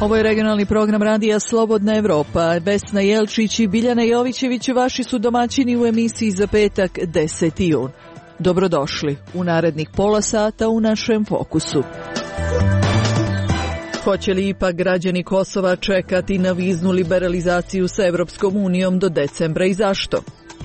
Ovo je regionalni program radija Slobodna Evropa. Vesna Jelčić i Biljana Jovićević vaši su domaćini u emisiji za petak 10. jun. Dobrodošli u narednih pola sata u našem fokusu. Hoće li ipak građani Kosova čekati na viznu liberalizaciju sa Evropskom unijom do decembra i zašto?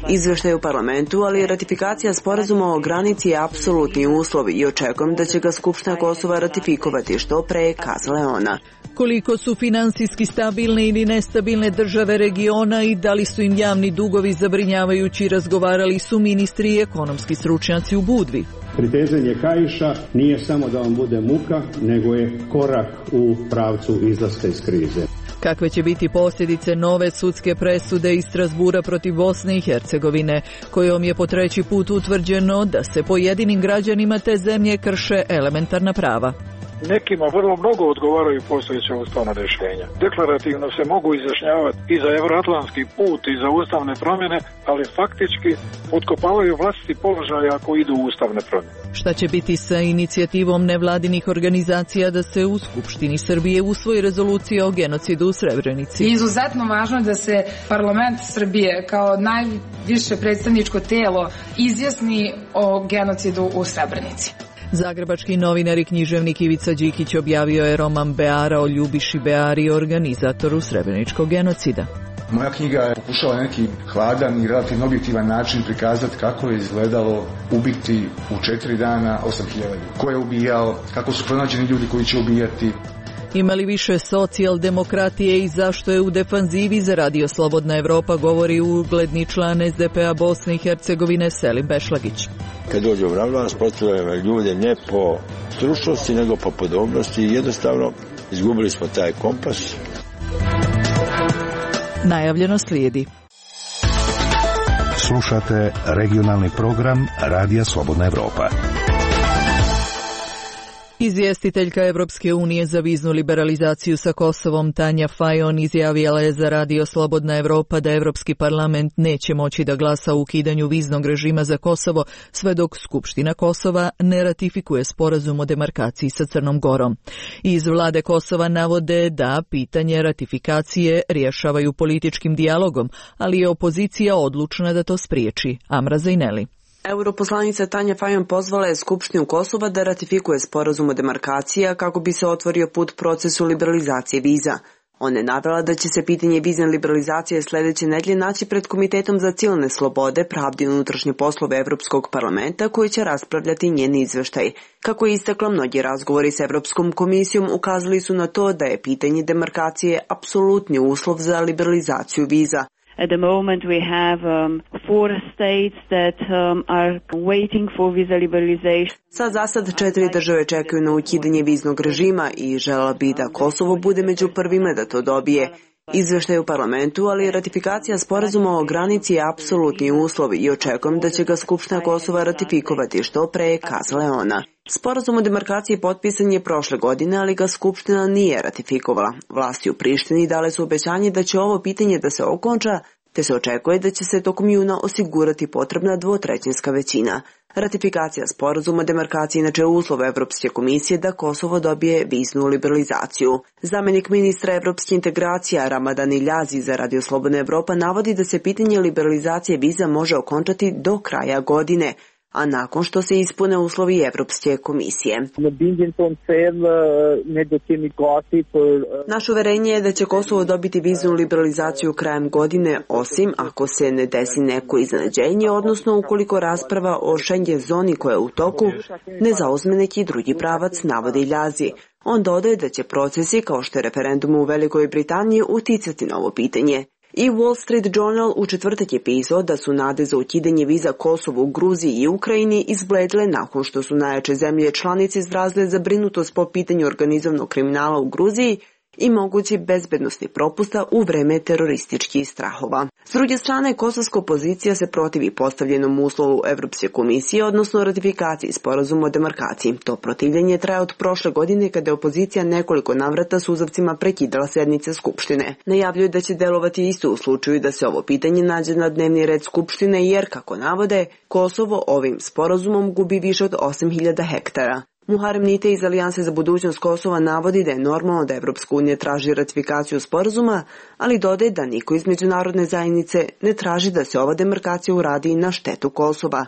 Izveštaj u parlamentu, ali ratifikacija sporazuma o granici je apsolutni uslov i očekujem da će ga Skupština Kosova ratifikovati što pre, kazala je ona. Koliko su finansijski stabilne ili nestabilne države regiona i da li su im javni dugovi zabrinjavajući, razgovarali su ministri i ekonomski stručnjaci u Budvi. Pritezanje kaiša nije samo da vam bude muka, nego je korak u pravcu izlaska iz krize. Kakve će biti posljedice nove sudske presude iz Strasbura protiv Bosne i Hercegovine, kojom je po treći put utvrđeno da se pojedinim građanima te zemlje krše elementarna prava? Nekima vrlo mnogo odgovaraju postojeća ustavna rješenja. Deklarativno se mogu izjašnjavati i za euroatlantski put i za ustavne promjene, ali faktički potkopavaju vlastiti položaj ako idu u ustavne promjene. Šta će biti sa inicijativom nevladinih organizacija da se u Skupštini Srbije usvoji rezolucija o genocidu u Srebrenici? Izuzetno važno je da se parlament Srbije kao najviše predstavničko tijelo izjasni o genocidu u Srebrenici. Zagrebački novinar i književnik Ivica Đikić objavio je roman Beara o Ljubiši Beari, organizatoru srebreničkog genocida. Moja knjiga pokušava na neki hladan i relativno objektivan način prikazati kako je izgledalo ubiti u 4 dana 8.000 ljudi. Ko je ubijao, kako su pronađeni ljudi koji će ubijati. Ima li više socijaldemokratije i zašto je u defanzivi za Radio Slobodna Evropa, govori ugledni član SDP-a Bosne i Hercegovine Selim Bešlagić. Kad dođe na vlast, postavljamo ljude ne po stručnosti, nego po podobnosti i jednostavno izgubili smo taj kompas. Najavljeno slijedi. Slušate regionalni program Radija Slobodna Evropa. Izvjestiteljka Evropske unije za viznu liberalizaciju sa Kosovom Tanja Fajon izjavila je za Radio Slobodna Evropa da Evropski parlament neće moći da glasa o ukidanju viznog režima za Kosovo sve dok Skupština Kosova ne ratifikuje sporazum o demarkaciji sa Crnom Gorom. Iz vlade Kosova navode da pitanje ratifikacije rješavaju političkim dijalogom, ali je opozicija odlučna da to spriječi. Amra Zajneli. Europoslanica Tanja Fajon pozvala je Skupštinu Kosova da ratifikuje sporazum o demarkaciji kako bi se otvorio put procesu liberalizacije viza. Ona je navela da će se pitanje vizne liberalizacije sljedeće nedelje naći pred Komitetom za civilne slobode, pravde i unutrašnje poslove Evropskog parlamenta koji će raspravljati njen izveštaj. Kako je istakla, mnogi razgovori s Evropskom komisijom ukazali su na to da je pitanje demarkacije apsolutni uslov za liberalizaciju viza. At the moment we have 4 states that are waiting for visa liberalization. Za sad 4 države čekaju na ukidanje viznog režima i želela bi da Kosovo bude među prvima da to dobije. Izveštaj u parlamentu, ali ratifikacija sporazuma o granici je apsolutni uslov i očekujem da će ga Skupština Kosova ratifikovati što pre, kazala je ona. Sporazum o demarkaciji potpisan je prošle godine, ali ga Skupština nije ratifikovala. Vlasti u Prištini dale su obećanje da će ovo pitanje da se okonča, te se očekuje da će se tokom juna osigurati potrebna 2/3 većina. Ratifikacija sporazuma o demarkaciji inače je uslov Evropske komisije da Kosovo dobije viznu liberalizaciju. Zamjenik ministra evropske integracije Ramadan Iljazi za Radio Slobodna Evropa navodi da se pitanje liberalizacije viza može okončati do kraja godine, a nakon što se ispune uslovi Evropske komisije. Naše uverenje je da će Kosovo dobiti viznu liberalizaciju krajem godine, osim ako se ne desi neko iznenađenje, odnosno ukoliko rasprava o Schengen zoni koja je u toku ne zauzme neki drugi pravac, navodi Iljazi. On dodaje da će procesi kao što je referendum u Velikoj Britaniji uticati na ovo pitanje. I Wall Street Journal u četvrtak je pisao da su nade za ukidanje viza Kosovu, Gruziji i Ukrajini izbledle nakon što su najjače zemlje članice izrazile zabrinutost po pitanju organizovanog kriminala u Gruziji i mogući bezbednosni propusta u vreme terorističkih strahova. S druge strane, kosovska opozicija se protivi postavljenom uslovu Evropske komisije, odnosno ratifikaciji sporazuma o demarkaciji. To protivljenje traje od prošle godine kada je opozicija nekoliko navrata suzavcima prekidala sednice Skupštine. Najavljuje da će delovati isto u slučaju da se ovo pitanje nađe na dnevni red Skupštine jer, kako navode, Kosovo ovim sporazumom gubi više od 8.000 hektara. Muharem Nite iz Alijanse za budućnost Kosova navodi da je normalno da Evropska unija traži ratifikaciju sporazuma, ali dodaje da niko iz međunarodne zajednice ne traži da se ova demarkacija uradi na štetu Kosova.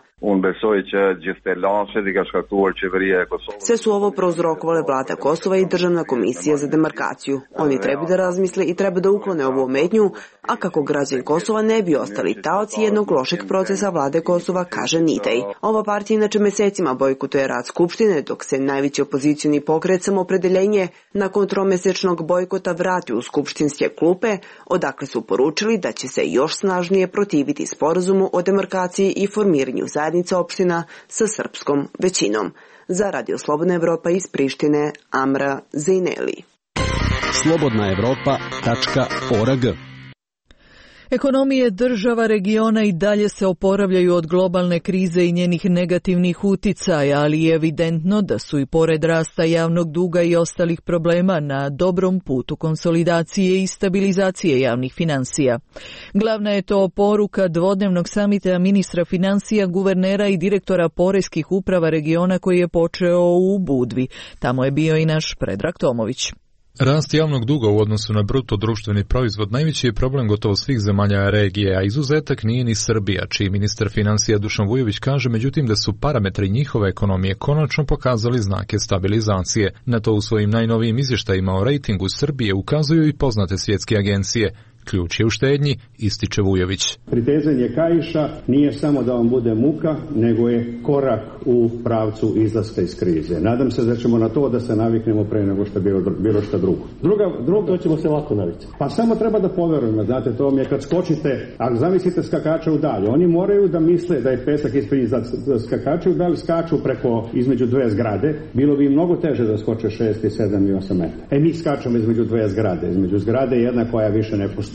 Sve su ovo prouzrokovale vlada Kosova i Državna komisija za demarkaciju. Oni treba da razmisle i treba da uklone ovu ometnju, a kako građani Kosova ne bi ostali taoci jednog lošeg procesa vlade Kosova, kaže Nitej. Ova partija inače mesecima bojkotuje rad Skupštine, dok se najveći opozicioni pokret Samoopredeljenje nakon tromesečnog bojkota vrati u skupštinske klupe, odakle su poručili da će se još snažnije protiviti sporazumu o demarkaciji i formiranju zajednica opština sa srpskom većinom. Za Radio Slobodna Evropa iz Prištine, Amra Zejneli. slobodnaevropa.org. Ekonomije država regiona i dalje se oporavljaju od globalne krize i njenih negativnih uticaja, ali je evidentno da su i pored rasta javnog duga i ostalih problema na dobrom putu konsolidacije i stabilizacije javnih finansija. Glavna je to poruka dvodnevnog samita ministra finansija, guvernera i direktora poreskih uprava regiona koji je počeo u Budvi. Tamo je bio i naš Predrag Tomović. Rast javnog duga u odnosu na bruto društveni proizvod najveći je problem gotovo svih zemalja regije, a izuzetak nije ni Srbija, čiji ministar finansija Dušan Vujović kaže međutim da su parametri njihove ekonomije konačno pokazali znake stabilizacije. Na to u svojim najnovijim izvještajima o rejtingu Srbije ukazuju i poznate svjetske agencije. Ključ je u štednji, ističe Vujović. Pritezanje kaiša nije samo da vam bude muka, nego je korak u pravcu izlaska iz krize. Nadam se da ćemo na to da se naviknemo pre nego što je bilo što drugo. Drugo, to ćemo se lako navikti. Pa samo treba da poverujemo, znate, to mi je kad skočite, ako zamislite skakača u dalje, oni moraju da misle da je pesak ispred skakača u dalje, skaču preko između dve zgrade, bilo bi mnogo teže da skoče 6, 7 i 8 metara. Mi skačemo između dve zgrade, između zgrade jedna koja više ne postoji,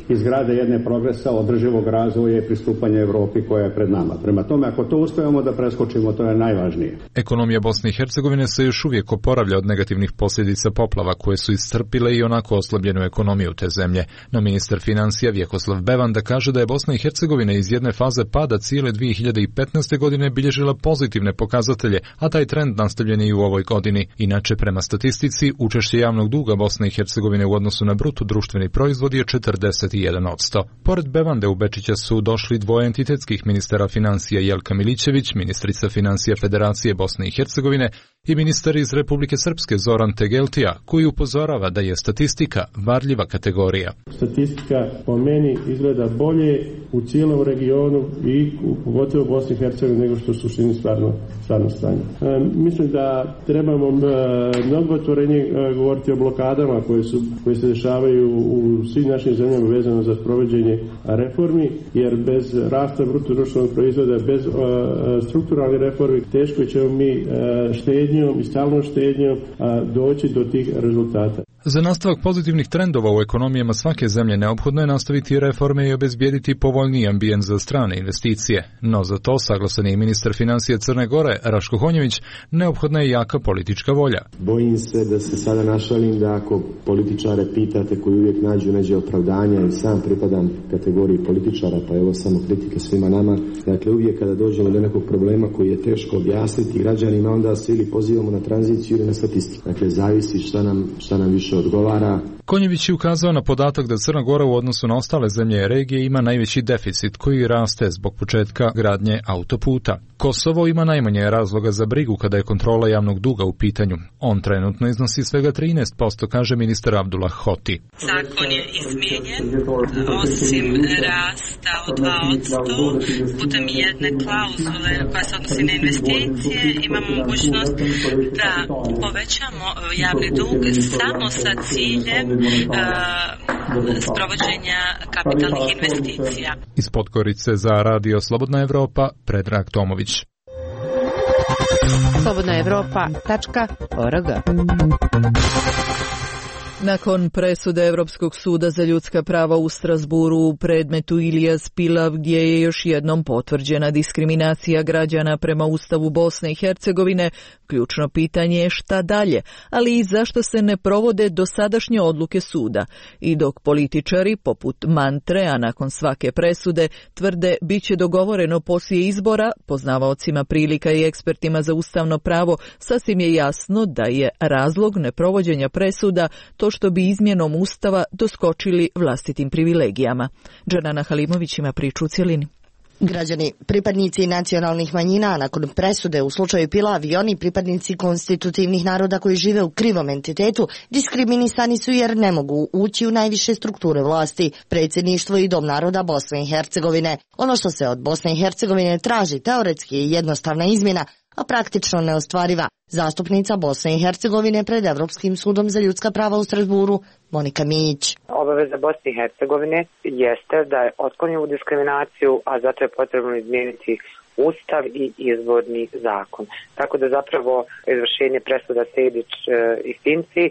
izgrade jedne progresa održivog razvoja i pristupanja Evropi koja je pred nama. Prema tome, ako to uspevamo da preskočimo, to je najvažnije. Ekonomija Bosne i Hercegovine se još uvijek oporavlja od negativnih posljedica poplava koje su iscrpile i onako oslabljenu ekonomiju te zemlje. No ministar financija Vjekoslav Bevanda kaže da je Bosna i Hercegovina iz jedne faze pada cijele 2015. godine bilježila pozitivne pokazatelje, a taj trend nastavljen je i u ovoj godini. Inače, prema statistici, učešće javnog duga Bosne i Hercegovine u odnosu na bruto društveni proizvod je 41%. Pored Bevande u Bečića su došli dvoje entitetskih ministara financija Jelka Milićević, ministrica financija Federacije Bosne i Hercegovine, i ministar iz Republike Srpske Zoran Tegeltija, koji upozorava da je statistika varljiva kategorija. Statistika po meni izgleda bolje u cijelom regionu i pogotovo u Bosni i Hercegovini nego što u suštini stvarno stanje. Mislim da trebamo mnogo otvorenje govoriti o blokadama koje se dešavaju u svim našim zemljama vezano za sprovođenje reformi, jer bez rasta bruto društvenog proizvoda, bez strukturalnih reformi, teško ćemo mi štednjom i stalnom štednjom doći do tih rezultata. Za nastavak pozitivnih trendova u ekonomijama svake zemlje neophodno je nastaviti reforme i obezbijediti povoljniji ambijent za strane investicije. No za to, saglasan je i ministar financija Crne Gore, Raško Honjević, neophodna je jaka politička volja. Bojim se da se sada našalim da ako političare pitate koji uvijek nađu neđe opravdanja, i sam pripadam kategoriji političara, pa evo samo kritike svima nama. Dakle, uvijek kada dođemo do nekog problema koji je teško objasniti građanima, onda se ili pozivamo na tranziciju ili na statistiku. Dakle, zavisi šta nam više odgovara. Konjević je ukazao na podatak da Crna Gora u odnosu na ostale zemlje regije ima najveći deficit koji raste zbog početka gradnje autoputa. Kosovo ima najmanje razloga za brigu kada je kontrola javnog duga u pitanju. On trenutno iznosi svega 13%, kaže ministar Abdullah Hoti. Zakon je izmijenjen, osim rasta od 2%, putem jedne klauzule koja se odnosi na investicije, imamo mogućnost da povećamo javni dug samo sa ciljem sprovođenja kapitalnih investicija. Iz Podgorice za Radio Slobodna Evropa, Predrag Tomović. slobodnaevropa.org. Nakon presude Europskog suda za ljudska prava u Strasburu u predmetu Ilyas Pilav, gdje je još jednom potvrđena diskriminacija građana prema Ustavu Bosne i Hercegovine, ključno pitanje je šta dalje, ali i zašto se ne provode dosadašnje odluke suda. I dok političari, poput mantre, a nakon svake presude, tvrde bit će dogovoreno poslije izbora, poznavaocima prilika i ekspertima za ustavno pravo, sasvim je jasno da je razlog neprovođenja presuda to što bi izmjenom Ustava doskočili vlastitim privilegijama. Džanana Halimović ima priču u cjelini. Građani, pripadnici nacionalnih manjina, nakon presude u slučaju Pilav i oni pripadnici konstitutivnih naroda koji žive u krivom entitetu, diskriminisani su jer ne mogu ući u najviše strukture vlasti, predsjedništvo i Dom naroda Bosne i Hercegovine. Ono što se od Bosne i Hercegovine traži teoretski je jednostavna izmjena, a praktično neostvariva. Zastupnica Bosne i Hercegovine pred Evropskim sudom za ljudska prava u Strasburu, Monika Mijić. Obaveza Bosne i Hercegovine jeste da je otkloni diskriminaciju, a zato je potrebno izmijeniti Ustav i izborni zakon. Tako da zapravo izvršenje presuda Sejdić i Finci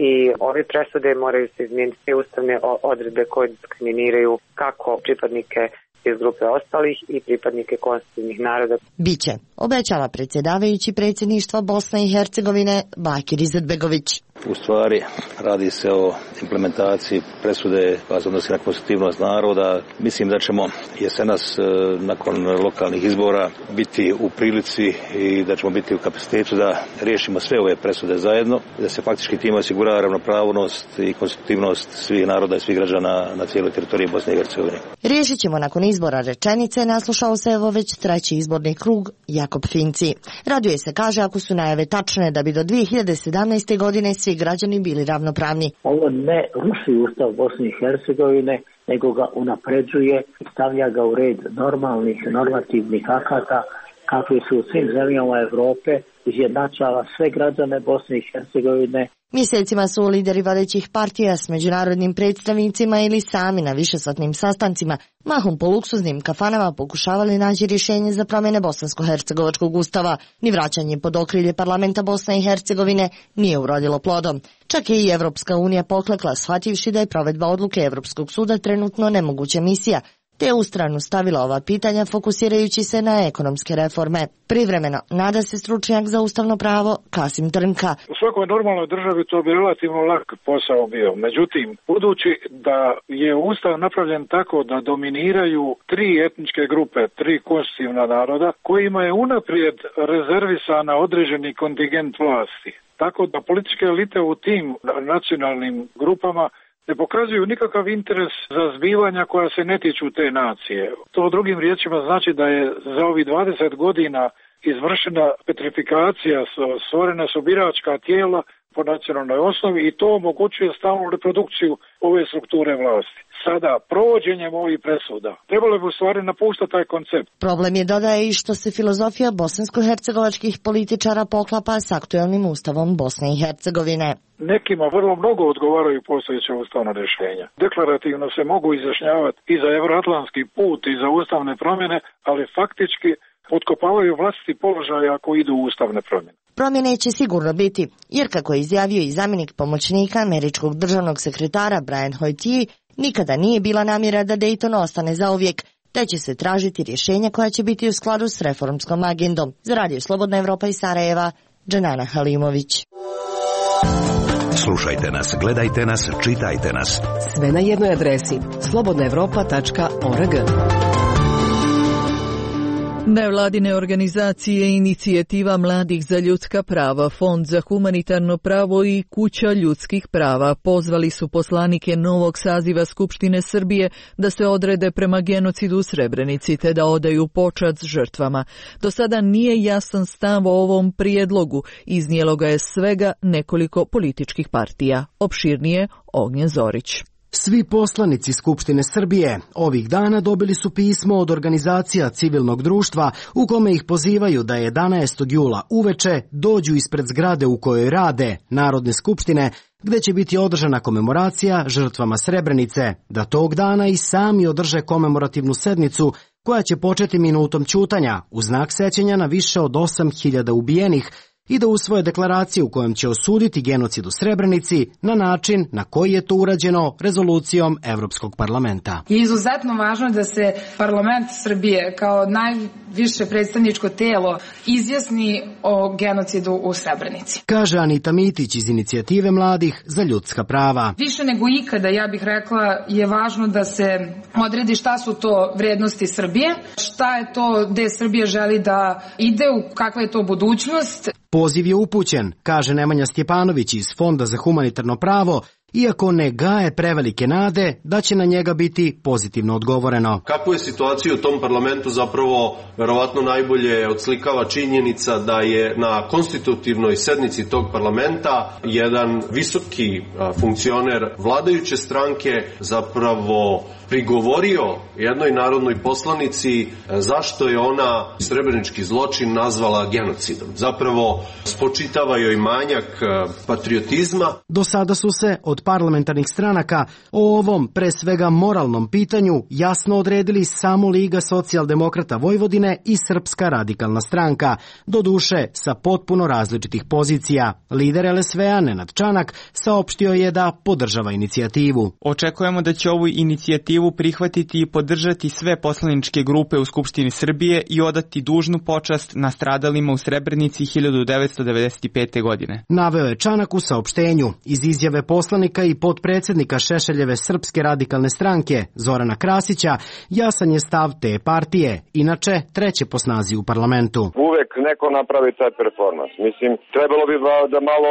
i ove presude moraju se izmijeniti sve ustavne odredbe koje diskriminiraju kako pripadnike iz grupe ostalih i pripadnike konstitutivnih naroda. Biće, obećava predsjedavajući predsjedništva Bosne i Hercegovine Bakir Izetbegović. U stvari radi se o implementaciji presude koja se odnosi na konstitutivnost naroda. Mislim da ćemo jesenas nakon lokalnih izbora biti u prilici i da ćemo biti u kapacitetu da riješimo sve ove presude zajedno, da se faktički time osigura ravnopravnost i konstitutivnost svih naroda i svih građana na cijeloj teritoriji Bosne i Hercegovine. Riješit ćemo nakon izbora rečenice, naslušao se evo već treći izborni krug Jakob Finci. Raduje se, kaže, ako su najave tačne da bi do 2017. godine svi građani bili ravnopravni. Ovo ne ruši Ustav Bosne i Hercegovine, nego ga unapređuje i stavlja ga u red normalnih normativnih akata kakvi su u svim zemljama Europe, izjednačava sve građane Bosne i Hercegovine. Mjesecima su lideri vodećih partija s međunarodnim predstavnicima ili sami na višesatnim sastancima, mahom po luksuznim kafanama, pokušavali naći rješenje za promjene bosansko-hercegovačkog ustava. Ni vraćanje pod okrilje parlamenta Bosne i Hercegovine nije urodilo plodom. Čak je i Evropska unija poklekla, shvativši da je provedba odluke Evropskog suda trenutno nemoguća misija, te u stranu stavila ova pitanja fokusirajući se na ekonomske reforme. Privremeno, nada se stručnjak za ustavno pravo Kasim Trnka. U svakoj normalnoj državi to bi relativno lak posao bio. Međutim, budući da je ustav napravljen tako da dominiraju tri etničke grupe, tri konstitutivna naroda, kojima je unaprijed rezervisana određeni kontingent vlasti. Tako da političke elite u tim nacionalnim grupama ne pokazuju nikakav interes za zbivanja koja se ne tiču te nacije. To drugim riječima znači da je za ovih 20 godina izvršena petrifikacija, stvorena su biračka tijela po nacionalnoj osnovi i to omogućuje stalnu reprodukciju ove strukture vlasti. Sada, provođenjem ovih presuda, trebalo bi u stvari napuštati taj koncept. Problem je, dodaje, i što se filozofija bosansko-hercegovačkih političara poklapa s aktuelnim ustavom Bosne i Hercegovine. Nekima vrlo mnogo odgovaraju postojeća ustavna rješenja. Deklarativno se mogu izjašnjavati i za euroatlantski put i za ustavne promjene, ali faktički potkopavaju vlastiti položaj ako idu u ustavne promjene. Promjene će sigurno biti, jer kako je izjavio i zamjenik pomoćnika američkog državnog sekretara Brian Hoyt, nikada nije bila namjera da Dayton ostane zauvijek, te će se tražiti rješenja koja će biti u skladu s reformskom agendom. Za Radio Slobodna Evropa iz Sarajeva, Džanana Halimović. Slušajte nas, gledajte nas, čitajte nas. Sve na jednoj adresi slobodnaevropa.org. Nevladine organizacije, Inicijativa mladih za ljudska prava, Fond za humanitarno pravo i Kuća ljudskih prava pozvali su poslanike novog saziva Skupštine Srbije da se odrede prema genocidu u Srebrenici te da odaju počast žrtvama. Do sada nije jasan stav o ovom prijedlogu, iznijelo ga je svega nekoliko političkih partija. Opširnije Ognjen Zorić. Svi poslanici Skupštine Srbije ovih dana dobili su pismo od organizacija civilnog društva u kome ih pozivaju da 11. jula uveče dođu ispred zgrade u kojoj rade Narodne skupštine, gde će biti održana komemoracija žrtvama Srebrenice, da tog dana i sami održe komemorativnu sednicu koja će početi minutom ćutanja u znak sećanja na više od 8.000 ubijenih i da usvoje deklaraciju u kojom će osuditi genocid u Srebrenici na način na koji je to urađeno rezolucijom Evropskog parlamenta. Je izuzetno važno da se parlament Srbije kao najviše predstavničko telo izjasni o genocidu u Srebrenici. Kaže Anita Mitić iz Inicijative mladih za ljudska prava. Više nego ikada, ja bih rekla, je važno da se odredi šta su to vrednosti Srbije, šta je to gde Srbija želi da ide, kakva je to budućnost. Poziv je upućen, kaže Nemanja Stjepanović iz Fonda za humanitarno pravo, iako ne gaje prevelike nade da će na njega biti pozitivno odgovoreno. Kakvu je situaciju u tom parlamentu zapravo verovatno najbolje odslikava činjenica da je na konstitutivnoj sednici tog parlamenta jedan visoki funkcioner vladajuće stranke zapravo prigovorio jednoj narodnoj poslanici zašto je ona srebrenički zločin nazvala genocidom. Zapravo spočitava joj manjak patriotizma. Do sada su se od parlamentarnih stranaka o ovom pre svega moralnom pitanju jasno odredili samo Liga socijaldemokrata Vojvodine i Srpska radikalna stranka, doduše sa potpuno različitih pozicija. Lider LSV-a Nenad Čanak saopštio je da podržava inicijativu. Očekujemo da će ovu inicijativu prihvatiti i podržati sve poslaničke grupe u Skupštini Srbije i odati dužnu počast nastradalima u Srebrenici 1995. godine. Naveo je Čanak u saopštenju. Iz izjave poslanika i potpredsednika Šešeljeve Srpske radikalne stranke Zorana Krasića jasan je stav te partije, inače treće po snazi u parlamentu. Uvek neko napravi taj performans. Mislim, trebalo bi da malo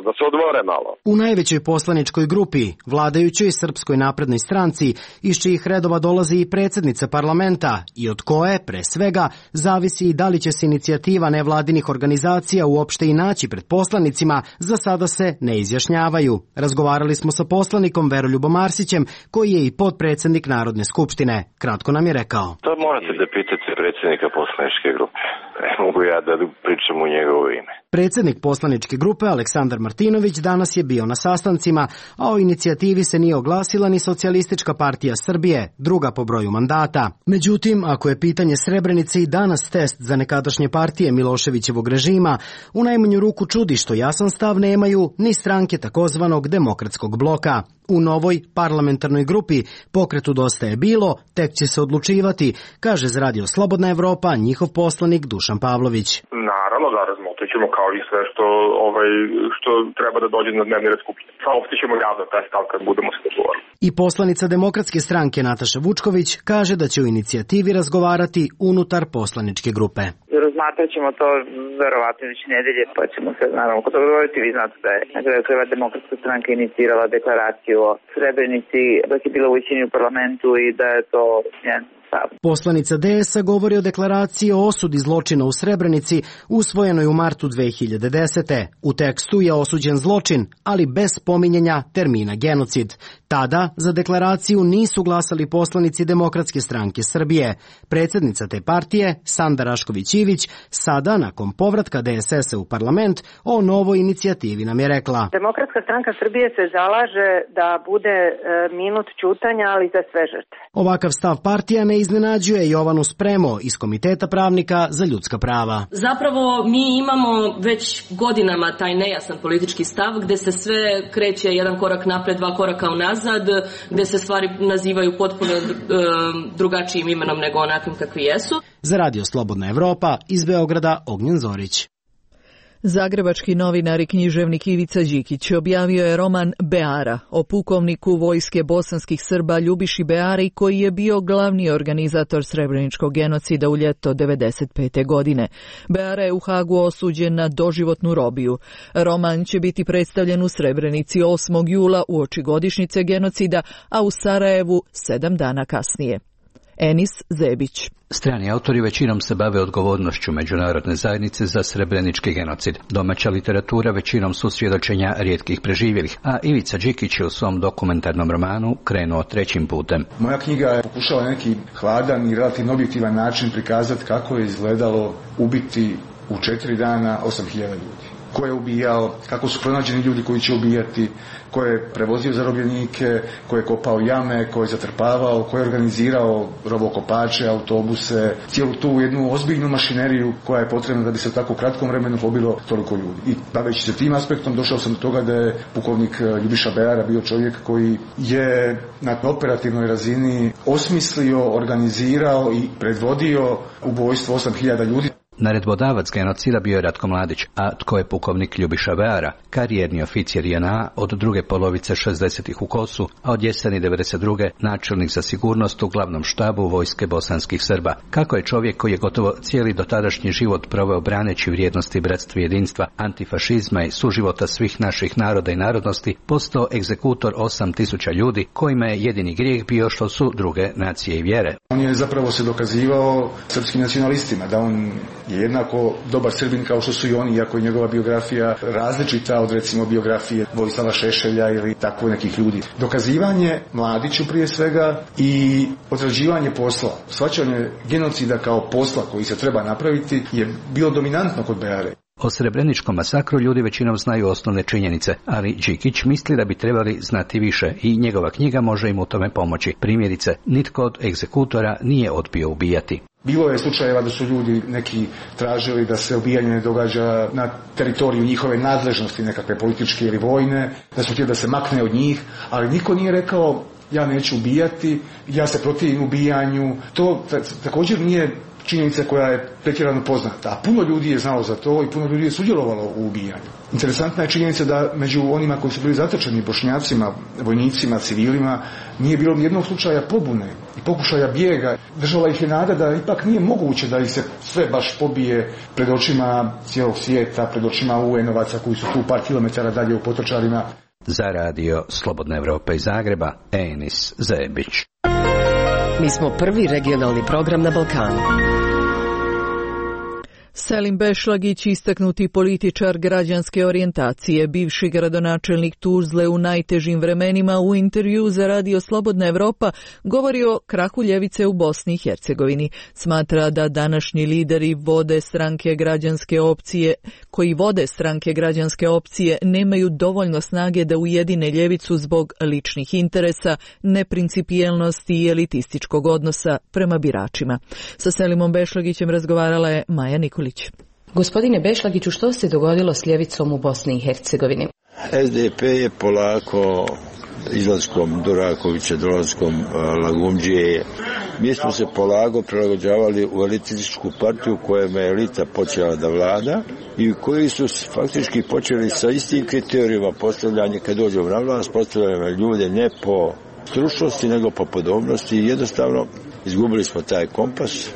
da se odmore malo. U najvećoj poslaničkoj grupi, vladajućoj Srpskoj naprednoj stranci, iz čijih redova dolazi i predsjednica parlamenta i od koje, pre svega, zavisi i da li će se inicijativa nevladinih organizacija uopšte i naći pred poslanicima, za sada se ne izjašnjavaju. Razgovarali smo sa poslanikom Veroljubom Arsićem, koji je i potpredsjednik Narodne skupštine. Kratko nam je rekao. To morate da pitate predsjednika poslaničke grupe. Ne mogu ja da pričam u njegovo ime. Predsjednik poslaničke grupe Aleksandar Martinović danas je bio na sastancima, a o inicijativi se nije oglasila ni Socijalistička partija Srbije, druga po broju mandata. Međutim, ako je pitanje Srebrenice i danas test za nekadašnje partije Miloševićevog režima, u najmanju ruku čudi što jasan stav nemaju ni stranke takozvanog demokratskog bloka. U novoj parlamentarnoj grupi Pokretu Dosta je bilo, tek će se odlučivati, kaže za Radio Slobodna Evropa njihov poslanik Dušan Pavlović. Naravno da razmotrit ćemo kao i sve što treba da dođe na dnevni red Skupštine. Saopštit ćemo javno taj stav kad budemo se dogovorili. I poslanica Demokratske stranke Nataša Vučković kaže da će o inicijativi razgovarati unutar poslaničke grupe. Razmatrat ćemo to verovatno već nedelje, pa ćemo se naravno kod dogovoriti. Vi znate da je na kraju krajeva Demokratska stranka inicirala deklaraciju o Srebrenici dok je bila u većini u parlamentu i da je to njen stav. Poslanica DS-a govori o deklaraciji o osudi zločina u Srebrenici usvojenoj u martu 2010. U tekstu je osuđen zločin, ali bez spominjanja termina genocid. Tada za deklaraciju nisu glasali poslanici Demokratske stranke Srbije. Predsjednica te partije, Sanda Rašković-Ivić, sada nakon povratka DSS-a u parlament o novoj inicijativi nam je rekla. Demokratska stranka Srbije se zalaže da bude minut ćutanja, ali za sve žrtve. Ovakav stav partija ne iznenađuje Jovanu Spremo iz Komiteta pravnika za ljudska prava. Zapravo mi imamo već godinama taj nejasan politički stav gde se sve kreće jedan korak napred, dva koraka unazad, gde se stvari nazivaju potpuno drugačijim imenom nego onakvim kakvi jesu. Za Radio Slobodna Evropa iz Beograda Ognjen Zorić. Zagrebački novinar i književnik Ivica Đikić objavio je roman Beara o pukovniku vojske bosanskih Srba Ljubiši Beari, koji je bio glavni organizator srebreničkog genocida u ljeto 1995. godine. Beara je u Hagu osuđen na doživotnu robiju. Roman će biti predstavljen u Srebrenici 8. jula uoči godišnjice genocida, a u Sarajevu 7 dana kasnije. Enis Zebić. Strani autori većinom se bave odgovornošću međunarodne zajednice za srebrenički genocid. Domaća literatura većinom su svjedočenja rijetkih preživjelih, a Ivica Đikić je u svom dokumentarnom romanu krenuo trećim putem. Moja knjiga je pokušala neki hladan i relativno objektivan način prikazati kako je izgledalo ubiti u 4 dana 8.000 ljudi. ko je ubijao, kako su pronađeni ljudi koji će ubijati, ko je prevozio zarobljenike, ko je kopao jame, ko je zatrpavao, ko je organizirao robokopače, autobuse, cijelu tu jednu ozbiljnu mašineriju koja je potrebna da bi se u tako kratkom vremenu pobilo toliko ljudi. I baveći se tim aspektom došao sam do toga da je pukovnik Ljubiša Beara bio čovjek koji je na operativnoj razini osmislio, organizirao i predvodio ubojstvo 8000 ljudi. Naredbodavac genocida bio je Ratko Mladić, a tko je pukovnik Ljubiša Beara, karijerni oficir JNA od druge polovice 60-ih u Kosu, a od jeseni 92. načelnik za sigurnost u glavnom štabu vojske bosanskih Srba. Kako je čovjek koji je gotovo cijeli dotadašnji život proveo braneći vrijednosti bratstva i jedinstva, antifašizma i suživota svih naših naroda i narodnosti, postao egzekutor 8000 ljudi, kojima je jedini grijeh bio što su druge nacije i vjere. On je zapravo se dokazivao srpskim nacionalistima da on je jednako dobar Srbin kao što su i oni, iako je njegova biografija različita od recimo biografije Vojislava Šešelja ili tako nekih ljudi. Dokazivanje Mladiću prije svega i odrađivanje posla, shvaćanje genocida kao posla koji se treba napraviti je bilo dominantno kod Beare. O Srebreničkom masakru ljudi većinom znaju osnovne činjenice, ali Đikić misli da bi trebali znati više i njegova knjiga može im u tome pomoći. Primjerice, nitko od egzekutora nije odbio ubijati. Bilo je slučajeva da su ljudi neki tražili da se ubijanje ne događa na teritoriju njihove nadležnosti, nekakve političke ili vojne, da su htjeli da se makne od njih, ali niko nije rekao ja neću ubijati, ja se protivim ubijanju. To također nije činjenica koja je pretjerano poznata, a puno ljudi je znalo za to i puno ljudi je sudjelovalo u ubijanju. Interesantna je činjenica da među onima koji su bili zatočeni, Bošnjacima, vojnicima, civilima, nije bilo nijednog slučaja pobune i pokušaja bijega. Držala ih je nada da ipak nije moguće da ih se sve baš pobije pred očima cijelog svijeta, pred očima UN-ovaca koji su tu par kilometara dalje u Potočarima. Za radio Slobodna Evropa iz Zagreba, Enis Zebić. Mi smo prvi regionalni program na Balkanu. Selim Bešlagić, istaknuti političar građanske orijentacije, bivši gradonačelnik Tuzle u najtežim vremenima, u intervju za radio Slobodna Evropa govori o krahu ljevice u Bosni i Hercegovini. Smatra da današnji lideri koji vode stranke građanske opcije nemaju dovoljno snage da ujedine ljevicu zbog ličnih interesa, neprincipijelnosti i elitističkog odnosa prema biračima. Sa Selimom Bešlagićem razgovarala je Maja Nikolić. Gospodine Bešlagiću, što se dogodilo s ljevicom u Bosni i Hercegovini? SDP je polako izlaskom Durakovića, dolaskom Lagumdžije, mi smo se polako prilagođavali u elitističku partiju kojom je elita počela da vlada i koji su faktički počeli sa istim kriterijima postavljanja kad dođu na vlast, postavljamo ljude ne po stručnosti nego po podobnosti i jednostavno izgubili smo taj kompas.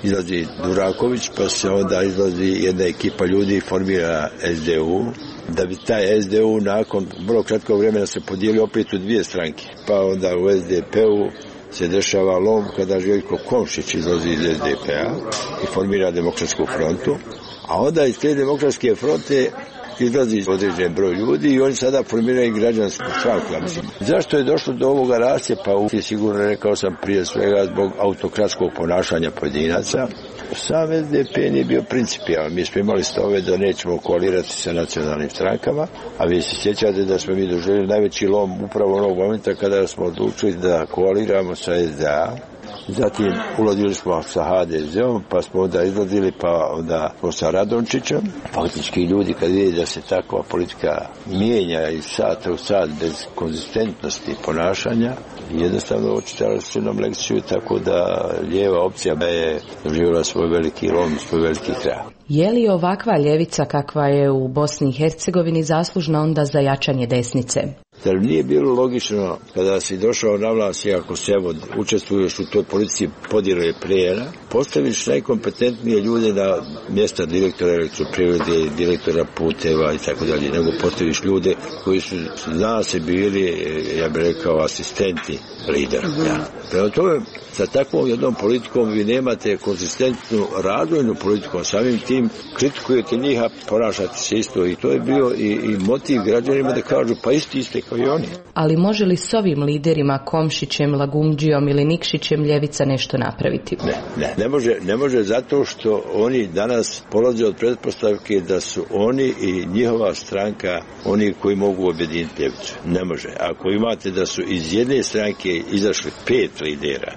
Izlazi Duraković, pa se onda izlazi jedna ekipa ljudi i formira SDU, da bi taj SDU nakon vrlo kratkog vremena se podijeli opet u dvije stranke. Pa onda u SDP-u se dešava lom kada Željko Komšić izlazi iz SDP-a i formira Demokratsku frontu, a onda iz te Demokratske fronte izlazi određen broj ljudi i oni sada formiraju građansku stranku. Zašto je došlo do ovoga rascjepa? Sigurno rekao sam prije svega zbog autokratskog ponašanja pojedinaca. Sam SDP nije bio principijalan. Mi smo imali stave da nećemo koalirati sa nacionalnim strankama, a vi se sjećate da smo mi doživjeli najveći lom upravo onog momenta kada smo odlučili da koaliramo sa SDA. Zatim ulazili smo sa HDZ-om, pa smo onda izlazili, pa onda smo sa Radončićem. Faktički ljudi kad vidi da se takva politika mijenja iz sata u sat bez konzistentnosti ponašanja, jednostavno očitali su nam lekciju, tako da lijeva opcija je doživjela svoj veliki lom, svoj veliki kraj. Je li ovakva ljevica kakva je u Bosni i Hercegovini zaslužna onda za jačanje desnice? Zar nije bilo logično kada si došao na vlast i ako se učestvuješ u toj politici podjele plijena, postaviš najkompetentnije ljude na mjesta direktora elektroprivrede, direktora puteva i tako dalje, nego postaviš ljude koji su zna se bili, ja bih rekao, asistenti lidera. Ja. Prema tome, sa takvom jednom politikom vi nemate konzistentnu razvojnu politiku, samim tim kritikujete njih, a ponašate se isto. I to je bio i motiv građanima da kažu pa isti ste kao i oni. Ali može li s ovim liderima Komšićem, Lagumdžijom ili Nikšićem ljevica nešto napraviti? Ne može zato što oni danas polaze od pretpostavke da su oni i njihova stranka oni koji mogu objediniti ljevicu. Ne može. Ako imate da su iz jedne stranke izašli 5 lidera,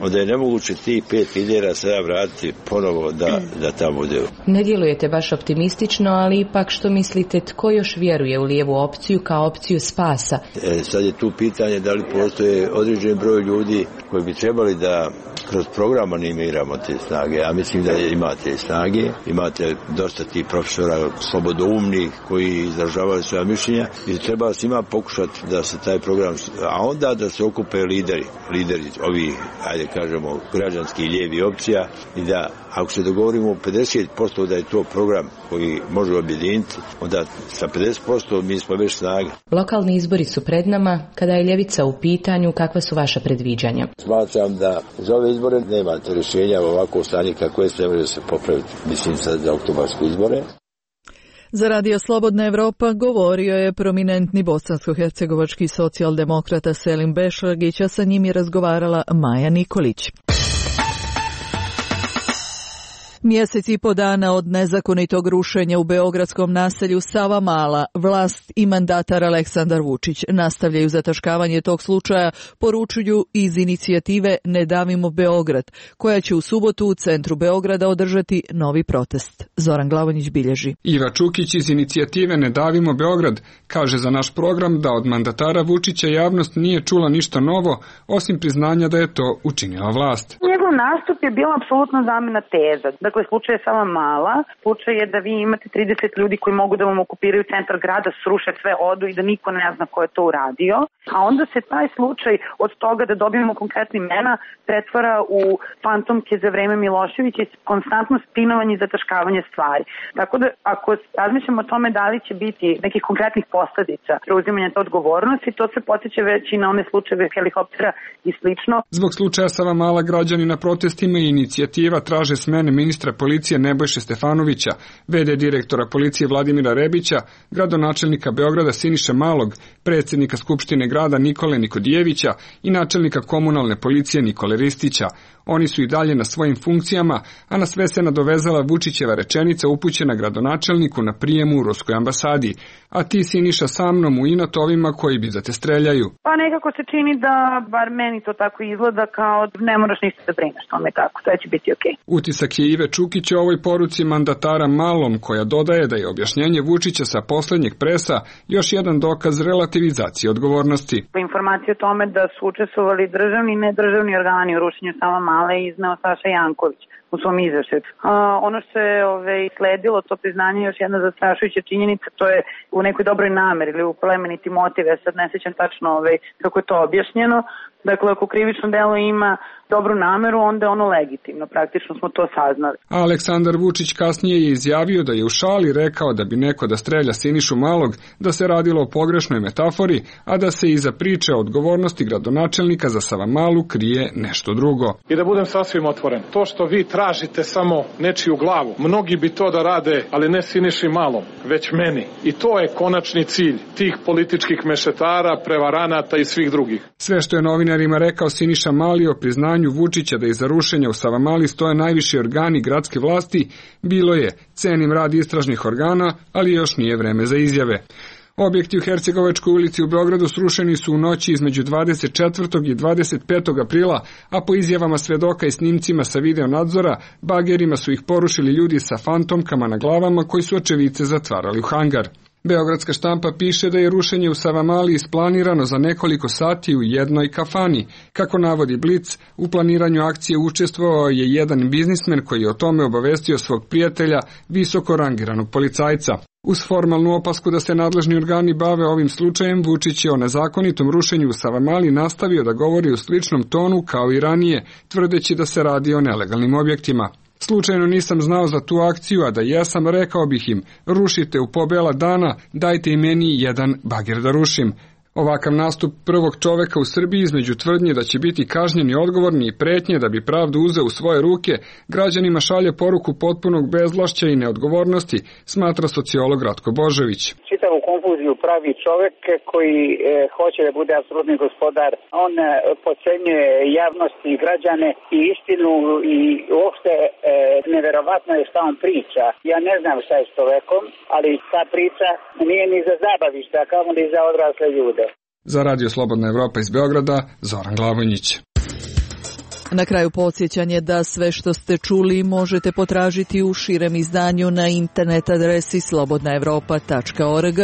onda je nemoguće ti 5 lidera sada vratiti ponovo da tamo bude. Ne djelujete baš optimistično, ali ipak što mislite, tko još vjeruje u lijevu opciju kao opciju spasa? Sad je tu pitanje da li postoje određen broj ljudi koji bi trebali da kroz program animiramo te snage. Ja mislim da imate snage, imate dosta tih profesora slobodoumnih koji izražavaju svoja mišljenja i treba svima pokušati da se taj program, a onda da se okupe lideri ovih, ajde kažemo, građanskih lijevi opcija i da ako se dogovorimo 50% da je to program koji može objediniti, onda sa 50% mi smo već snage. Lokalni izbori su pred nama. Kada je ljevica u pitanju, kakva su vaša predviđanja? Smatram da za ove izbore nemate rješenja, ovako stanje kako je, sve može se popraviti. Mislim sad za oktobarske izbore. Za Radio Slobodna Evropa govorio je prominentni bosansko-hercegovački socijaldemokrata Selim Bešlagić, a sa njim je razgovarala Maja Nikolić. Mjesec i po dana od nezakonitog rušenja u beogradskom naselju Savamala, vlast i mandatar Aleksandar Vučić nastavljaju zataškavanje tog slučaja, poručuju iz inicijative Ne davimo Beograd, koja će u subotu u centru Beograda održati novi protest. Zoran Glavonjić bilježi. Iva Čukić iz inicijative Ne davimo Beograd kaže za naš program da od mandatara Vučića javnost nije čula ništa novo, osim priznanja da je to učinila vlast. Njegov nastup je bila apsolutno zamena teza. Dakle, slučaj je Savamala. Slučaj je da vi imate 30 ljudi koji mogu da vam okupiraju centar grada, sruše sve, odu i da niko ne zna ko je to uradio. A onda se taj slučaj od toga da dobijemo konkretne imena pretvara u fantomke za vreme Miloševića i konstantno spinovanje i zataškavanje stvari. Tako da, ako razmišljamo o tome da li će biti nekih konkretnih posledica preuzimanja te odgovornosti, to se podsjeća već i na one slučajeve helikoptera i slično. Zbog slučaja Savamala građani na protestima i inicijativa traže smene ministra policije Nebojše Stefanovića, VD direktora policije Vladimira Rebića, gradonačelnika Beograda Siniše Malog, predsjednika Skupštine grada Nikole Nikodijevića i načelnika komunalne policije Nikole Ristića. Oni su i dalje na svojim funkcijama, a na sve se nadovezala Vučićeva rečenica upućena gradonačelniku na prijemu u Ruskoj ambasadi. A ti, Siniša, sa mnom u inat ovima koji bi da te streljaju. Pa nekako se čini da, bar meni to tako izgleda, kao ne moraš ništa da brineš tome tako, sve će biti okej. Utisak je Ive Čukić o ovoj poruci mandatara Malom, koja dodaje da je objašnjenje Vučića sa posljednjeg presa još jedan dokaz relativizacije odgovornosti. Informacije o tome da su učestvovali državni i nedržavni organi u rušenju Savamale izneo Saša Janković u svom izveštaju. Ono što je sledilo, to priznanje, još jedna zastrašujuća činjenica, to je u nekoj dobroj nameri ili u plemeniti motiv, ja sad ne sjećam tačno kako je to objašnjeno. Dakle, ako krivično delo ima dobru nameru, onda je ono legitimno, praktično smo to saznali. A Aleksandar Vučić kasnije je izjavio da je u šali rekao da bi neko da strelja Sinišu Malog, da se radilo o pogrešnoj metafori, a da se iza priče o odgovornosti gradonačelnika za Savamalu krije nešto drugo. I da budem sasvim otvoren, to što vi tražite samo nečiju glavu, mnogi bi to da rade, ali ne Siniši Malom, već meni. I to je konačni cilj tih političkih mešetara, prevaranata i svih drugih. Sve što je novinarima rekao Siniša Mali o priznanju Vučića da iza rušenja u Savamali stoje najviši organi gradske vlasti, bilo je: cenim rad istražnih organa, ali još nije vreme za izjave. Objekti u Hercegovačkoj ulici u Beogradu srušeni su u noći između 24. i 25. aprila, a po izjavama svedoka i snimcima sa video nadzora, bagerima su ih porušili ljudi sa fantomkama na glavama koji su očevice zatvarali u hangar. Beogradska štampa piše da je rušenje u Savamali isplanirano za nekoliko sati u jednoj kafani. Kako navodi Blic, u planiranju akcije učestvovao je jedan biznismen koji je o tome obavestio svog prijatelja, visoko rangiranog policajca. Uz formalnu opasku da se nadležni organi bave ovim slučajem, Vučić je o nezakonitom rušenju u Savamali nastavio da govori u sličnom tonu kao i ranije, tvrdeći da se radi o nelegalnim objektima. Slučajno nisam znao za tu akciju, a da jesam, rekao bih im: rušite u pobela dana, dajte i meni jedan bager da rušim. Ovakav nastup prvog čoveka u Srbiji između tvrdnje da će biti kažnjeni odgovorni i pretnje da bi pravdu uzeo u svoje ruke, građanima šalje poruku potpunog bezvlašća i neodgovornosti, smatra sociolog Ratko Božović. Čitavu konfuziju pravi čovek koji hoće da bude apsolutni gospodar. On podcenjuje javnost i građane i istinu i uopšte neverovatno je šta on priča. Ja ne znam šta je s čovekom, ali ta priča nije ni za zabavište, a kamo ni za odrasle ljude. Za Radio Slobodna Evropa iz Beograda, Zoran Glavonjić. Na kraju podsjećanje da sve što ste čuli možete potražiti u širem izdanju na internet adresi slobodnaevropa.org.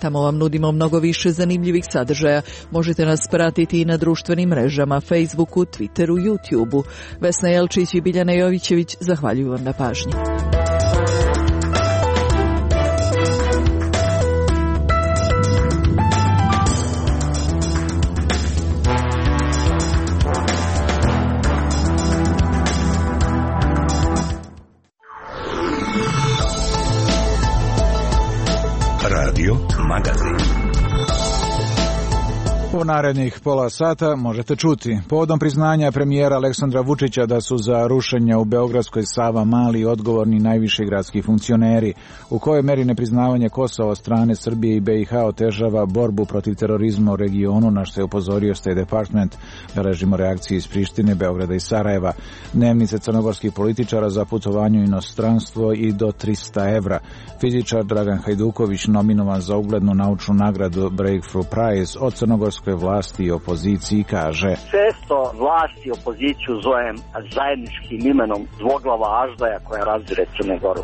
Tamo vam nudimo mnogo više zanimljivih sadržaja. Možete nas pratiti i na društvenim mrežama, Facebooku, Twitteru, YouTubeu. Vesna Jelčić i Biljana Jovićević zahvaljuju vam na pažnji. Radio Magazin. U narednih pola sata možete čuti. Povodom priznanja premijera Aleksandra Vučića da su za rušenje u Beogradskoj Savamali odgovorni najviši gradski funkcioneri, u kojoj meri nepriznavanje Kosova od strane Srbije i BiH otežava borbu protiv terorizma u regionu, na što je upozorio State Department. Beležimo reakcije iz Prištine, Beograda i Sarajeva. Dnevnice crnogorskih političara za putovanje u inostranstvo i do 300 evra. Fizičar Dragan Hajduković nominovan za uglednu naučnu nagradu Breakthrough Prize od crnogorskoj vlasti i opoziciji kaže: često vlast i opoziciju zovem zajedničkim imenom dvoglava aždaja koja razire Crnu Goru.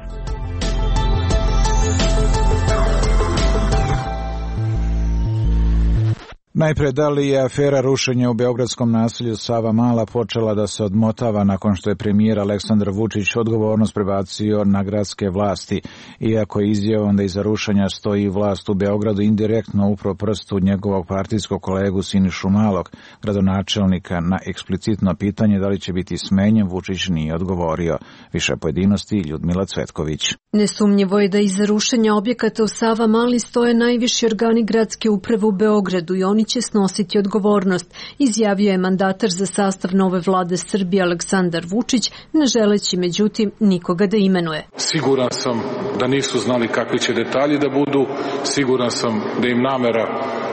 Najpre, da li je afera rušenja u beogradskom naselju Savamala počela da se odmotava nakon što je premijer Aleksandar Vučić odgovornost prebacio na gradske vlasti, iako je izjavom da iza rušenja stoji vlast u Beogradu indirektno upro prstu njegovog partijskog kolegu Sinišu Malog, gradonačelnika, na eksplicitno pitanje da li će biti smenjen, Vučić nije odgovorio. Više pojedinosti Ljudmila Cvetković. Nesumnjivo je da iza rušenja objekata u Savamali stoje najviši organi gradske uprave u Beogradu i oni će snositi odgovornost, izjavio je mandatar za sastav nove vlade Srbije Aleksandar Vučić, ne želeći međutim nikoga da imenuje. Siguran sam da nisu znali kakvi će detalji da budu, siguran sam da im namera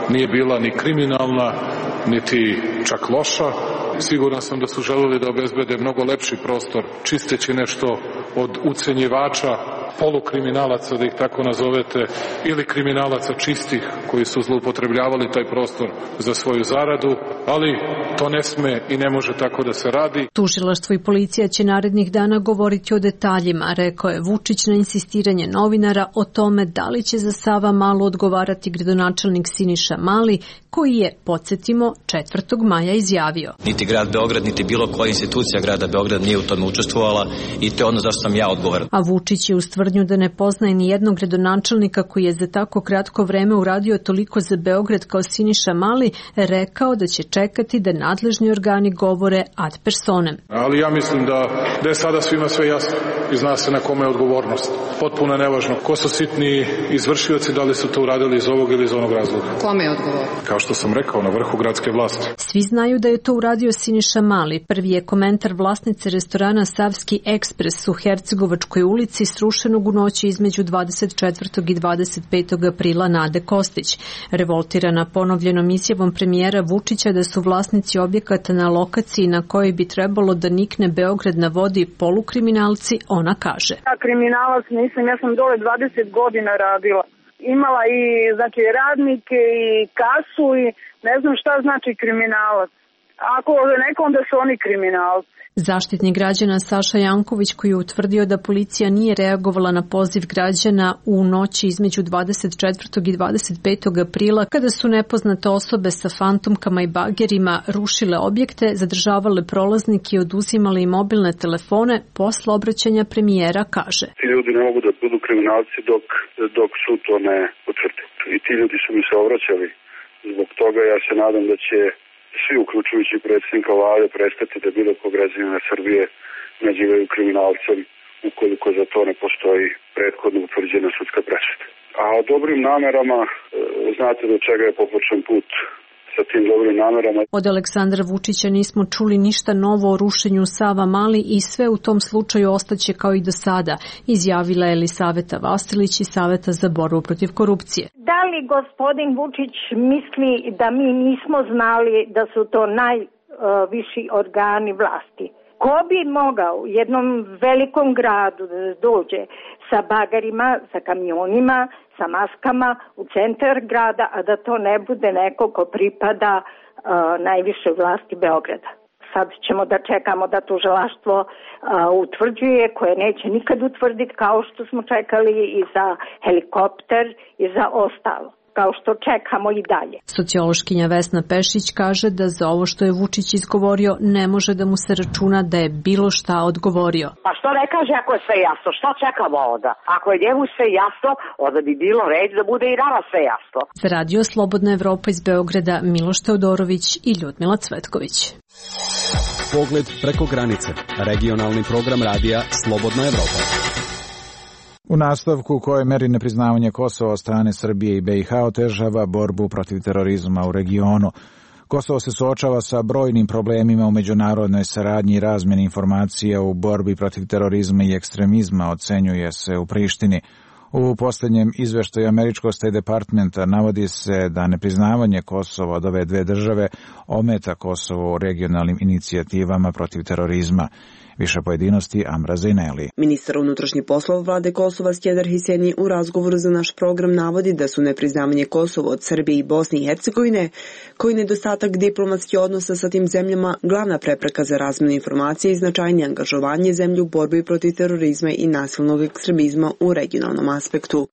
nije bila ni kriminalna, niti čak loša. Siguran sam da su želeli da obezbede mnogo lepši prostor, čisteći nešto od ucenjivača, polukriminalaca, da ih tako nazovete, ili kriminalaca čistih koji su zloupotrebljavali taj prostor za svoju zaradu, ali to ne sme i ne može tako da se radi. Tužilaštvo i policija će narednih dana govoriti o detaljima, rekao je Vučić na insistiranje novinara o tome da li će za Savamalu odgovarati gradonačelnik Siniša Mali, koji je, podsjetimo, 4. maja izjavio: niti grad Beograd, niti bilo koja institucija grada Beograd nije u tome učestvovala i to je ono zašto sam ja odgovoran. A Vučić je uz tvrdnju da ne poznaje ni jednog gradonačelnika koji je za tako kratko vreme uradio toliko za Beograd kao Siniša Mali, rekao da će čekati da nadležni organi govore ad personem. Ali ja mislim da je sada svima sve jasno i zna se na kome je odgovornost. Potpuno je nevažno ko su sitni izvršioci, da li su to uradili iz ovog ili iz onog razloga. Kome je odgovor? Kao što sam rekao, na vrhu gradske vlasti. Svi znaju da je to uradio Siniša Mali. Prvi je komentar vlasnice restorana Savski Ekspres u Hercegovačkoj ulici srušenog u noći između 24. i 25. aprila Nade Kostić. Revoltirana ponovljenom izjavom premijera Vučića da su vlasnici objekata na lokaciji na kojoj bi trebalo da nikne Beograd na vodi polukriminalci, ona kaže: ja kriminalac nisam, ja sam dole 20 godina radila. Imala i znači radnike i kasu i ne znam šta znači kriminalac. Ako nekom da su oni kriminalci. Zaštitnik građana Saša Janković, koji je utvrdio da policija nije reagovala na poziv građana u noći između 24. i 25. aprila, kada su nepoznate osobe sa fantomkama i bagerima rušile objekte, zadržavale prolaznike i oduzimale im mobilne telefone, posle obraćanja premijera kaže: ti ljudi ne mogu da budu kriminalci dok sud to ne potvrdi. I ti ljudi su mi se obraćali. Zbog toga ja se nadam da će svi, uključujući predsjednika vlade, prestati da bilo kog građanina Srbije nazivaju kriminalcem ukoliko za to ne postoji prethodno utvrđena sudska presuda. A o dobrim namerama, znate do čega je popočen put sa tim dobrim namerama. Od Aleksandra Vučića nismo čuli ništa novo o rušenju Savamale i sve u tom slučaju ostaće kao i do sada, izjavila je Elisaveta Vasilić iz Saveta za borbu protiv korupcije. Da li gospodin Vučić misli da mi nismo znali da su to najviši organi vlasti? Ko bi mogao u jednom velikom gradu da dođe sa bagarima, sa kamionima, sa maskama u centar grada, a da to ne bude neko ko pripada najvišoj vlasti Beograda? Sad ćemo da čekamo da tužilaštvo utvrđuje, koje neće nikad utvrditi, kao što smo čekali i za helikopter i za ostalo, kao što čekamo i dalje. Sociološkinja Vesna Pešić kaže da za ovo što je Vučić izgovorio ne može da mu se računa da je bilo šta odgovorio. Pa što ne kaže ako je sve jasno? Šta čekamo onda? Ako je njemu sve jasno, onda bi bilo red da bude i nama sve jasno. Za Radio Slobodna Evropa iz Beograda Miloš Teodorović i Ljudmila Cvetković. Pogled preko granice. Regionalni program radija Slobodna Evropa. U nastavku, u kojoj meri nepriznavanje Kosova od strane Srbije i BiH otežava borbu protiv terorizma u regionu. Kosovo se suočava sa brojnim problemima u međunarodnoj saradnji i razmjeni informacija u borbi protiv terorizma i ekstremizma, ocenjuje se u Prištini. U posljednjem izveštaju američkog State Departmenta navodi se da nepriznavanje Kosova od ove dve države ometa Kosovo u regionalnim inicijativama protiv terorizma. Više pojedinosti Amra Zejneli. Ministar unutrašnjih poslova vlade Kosova Skender Hiseni u razgovoru za naš program navodi da su nepriznavanje Kosova od Srbije i Bosne i Hercegovine, koji nedostatak diplomatskih odnosa sa tim zemljama, glavna prepreka za razmjenu informacija i značajnije angažovanje zemlje u borbi protiv terorizma i nasilnog ekstremizma u regionalnom aspektu.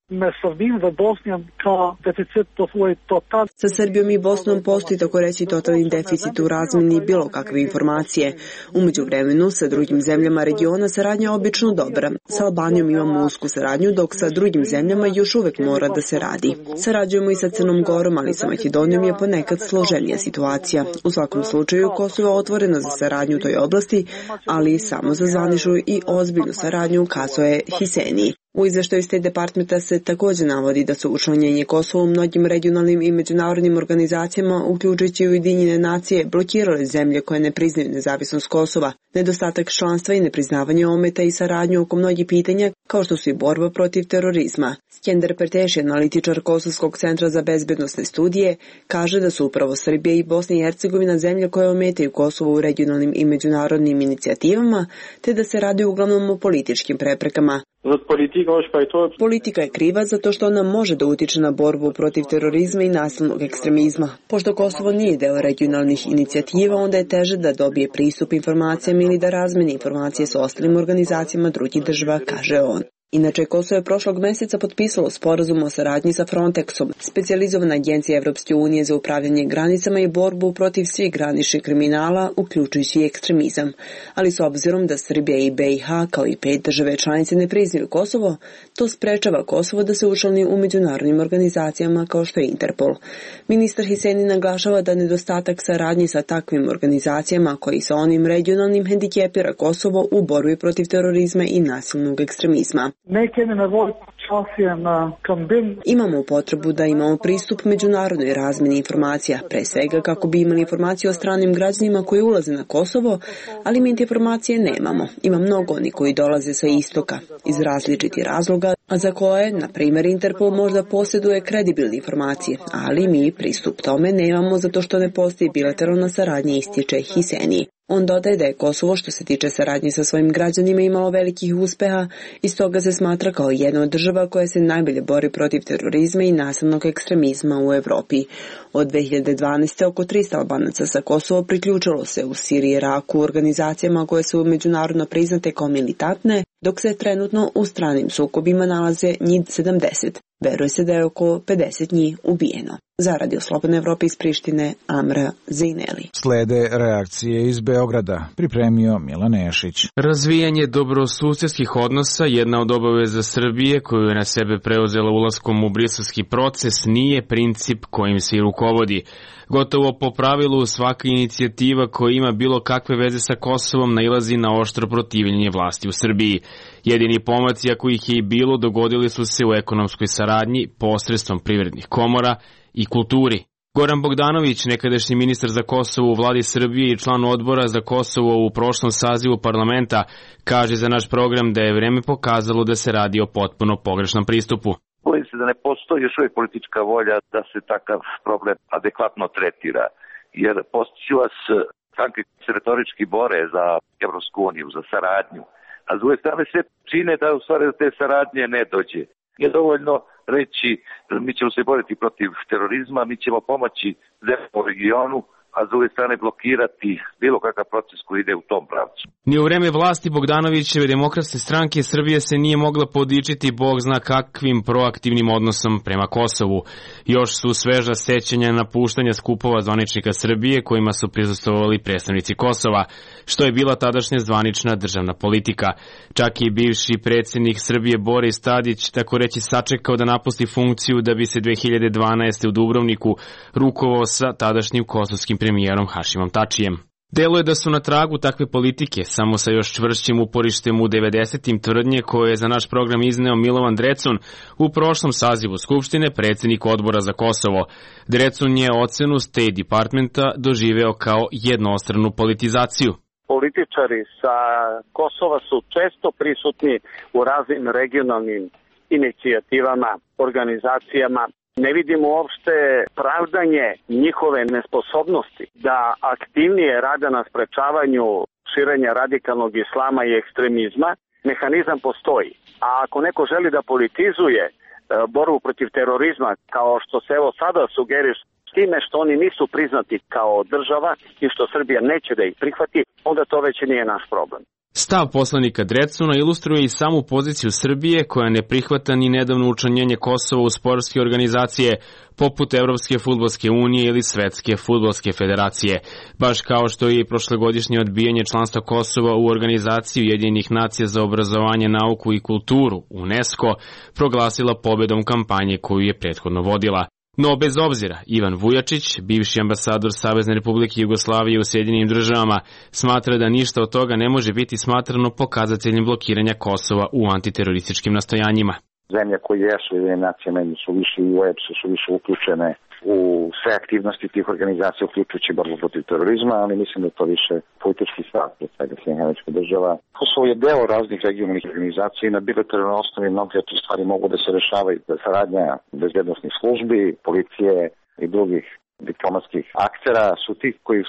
Sa Srbijom i Bosnom postoji tako reći totalni deficit u razmjeni bilo kakve informacije. U međuvremenu sa drugim zemljama regiona saradnja je obično dobra. Sa Albanijom imamo usku saradnju, dok sa drugim zemljama još uvek mora da se radi. Sarađujemo i sa Crnom Gorom, ali sa Makedonijom je ponekad složenija situacija. U svakom slučaju, Kosovo je otvoreno za saradnju u toj oblasti, ali samo za zvaničnu i ozbiljnu saradnju, kazuje Hiseni. U izveštaju State Departmenta se također navodi da su učlanjenje Kosova u mnogim regionalnim i međunarodnim organizacijama, uključujući Ujedinjene nacije, blokirale zemlje koje ne priznaju nezavisnost Kosova. Nedostatak članstva i nepriznavanje ometa i saradnju oko mnogih pitanja, kao što su i borba protiv terorizma. Skender Perteši, analitičar Kosovskog centra za bezbednosne studije, kaže da su upravo Srbija i Bosna i Hercegovina zemlje koje ometaju Kosovo u regionalnim i međunarodnim inicijativama, te da se radi uglavnom o političkim preprekama. Politika je kriva zato što ona može da utiče na borbu protiv terorizma i nasilnog ekstremizma. Pošto Kosovo nije deo regionalnih inicijativa, onda je teže da dobije pristup informacijama ili da razmeni informacije s ostalim organizacijama drugih država, kaže on. Inače, Kosovo je prošlog meseca potpisalo sporazum o saradnji sa Frontexom, specijalizovana agencija Evropske unije za upravljanje granicama i borbu protiv svih graničnih kriminala, uključujući i ekstremizam. Ali s obzirom da Srbija i BiH, kao i 5 države članice, ne priznaju Kosovo, to sprečava Kosovo da se učlani u međunarodnim organizacijama kao što je Interpol. Ministar Hiseni naglašava da nedostatak saradnje sa takvim organizacijama, koji sa onim regionalnim hendikepira Kosovo u borbi protiv terorizma i nasilnog ekstremizma. Imamo potrebu da imamo pristup međunarodnoj razmjeni informacija, pre svega kako bi imali informacije o stranim građanima koji ulaze na Kosovo, ali mi informacije nemamo. Ima mnogo oni koji dolaze sa istoka, iz različitih razloga, a za koje, na primjer, Interpol možda posjeduje kredibilne informacije, ali mi pristup tome nemamo zato što ne postoji bilateralna saradnja, ističe Hiseni. On dodaje da je Kosovo, što se tiče saradnje sa svojim građanima, imalo velikih uspeha i stoga se smatra kao jedna od država koja se najbolje bori protiv terorizma i nasilnog ekstremizma u Evropi. Od 2012. oko 300 Albanaca sa Kosova priključilo se u Siriji i Iraku u organizacijama koje su međunarodno priznate kao militantne, dok se trenutno u stranim sukobima nalaze njih 70. Veruje se da je oko 50 njih ubijeno. Za Radio Slobodne Evrope iz Prištine, Amra Zejneli. Slede reakcije iz Beograda, pripremio Milan Nešić. Razvijanje dobrosusedskih odnosa, jedna od obaveza Srbije koju je na sebe preuzela ulaskom u briselski proces, nije princip kojim se i rukovodi. Gotovo po pravilu svaka inicijativa koja ima bilo kakve veze sa Kosovom nailazi na oštro protivljenje vlasti u Srbiji. Jedini pomaci, ako ih je i bilo, dogodili su se u ekonomskoj saradnji posredstvom privrednih komora i kulturi. Goran Bogdanović, nekadašnji ministar za Kosovo u vladi Srbije i član odbora za Kosovo u prošlom sazivu parlamenta, kaže za naš program da je vreme pokazalo da se radi o potpuno pogrešnom pristupu. Bojim se da ne postoji još uvijek politička volja da se takav problem adekvatno tretira, jer postići stranke se retorički bore za Evropsku uniju, za saradnju, a s druge strane sve čine da u stvari do te saradnje ne dođe. Nije dovoljno reći mi ćemo se boriti protiv terorizma, mi ćemo pomoći zemljama u regionu, a s druge strane blokirati bilo kakav proces koji ide u tom pravcu. Ni u vreme vlasti Bogdanovićeve Demokratske stranke Srbije se nije mogla podičiti bog zna kakvim proaktivnim odnosom prema Kosovu. Još su sveža sećanja napuštanja skupova zvaničnika Srbije kojima su prisustvovali predstavnici Kosova, što je bila tadašnja zvanična državna politika. Čak i bivši predsjednik Srbije Boris Tadić tako reći sačekao da napusti funkciju da bi se 2012. u Dubrovniku rukovao sa tadašnjim kosovskim premijerom Hašimom Tačijem. Delo je da su na tragu takve politike, samo sa još čvršćim uporištem u 90-im tvrdnje koje je za naš program izneo Milovan Drecun u prošlom sazivu Skupštine, predsjednik odbora za Kosovo. Drecun je ocenu State Departmenta doživeo kao jednostranu politizaciju. Političari sa Kosova su često prisutni u raznim regionalnim inicijativama, organizacijama. Ne vidimo uopšte pravdanje njihove nesposobnosti da aktivnije rade na sprečavanju širenja radikalnog islama i ekstremizma. Mehanizam postoji. A ako neko želi da politizuje borbu protiv terorizma, kao što se evo sada sugeriš, s time što oni nisu priznati kao država i što Srbija neće da ih prihvati, onda to već nije naš problem. Stav poslanika Drecuna ilustruje i samu poziciju Srbije koja ne prihvata ni nedavno učlanjenje Kosova u sportske organizacije poput Evropske fudbalske unije ili Svetske fudbalske federacije, baš kao što je i prošlogodišnje odbijanje članstva Kosova u organizaciji Ujedinjenih nacija za obrazovanje, nauku i kulturu, UNESCO, proglasila pobedom kampanje koju je prethodno vodila. No, bez obzira, Ivan Vujačić, bivši ambasador Savezne Republike Jugoslavije u Sjedinjenim Državama, smatra da ništa od toga ne može biti smatrano pokazateljem blokiranja Kosova u antiterorističkim nastojanjima. Zemlje koje jesu Ujedinjene nacije su više i u EPS-u su više uključene u sve aktivnosti tih organizacija, uključujući borbu protiv terorizma, ali mislim da je to više politički stav od svega Sjedinjenih Američkih Država. Kosovo je deo raznih regionalnih organizacija i na bilateralnoj osnovi mnoge od tih stvari mogu da se rešavaju. Saradnja bezbednosnih službi, policije i drugih diplomatskih aktera su ti koji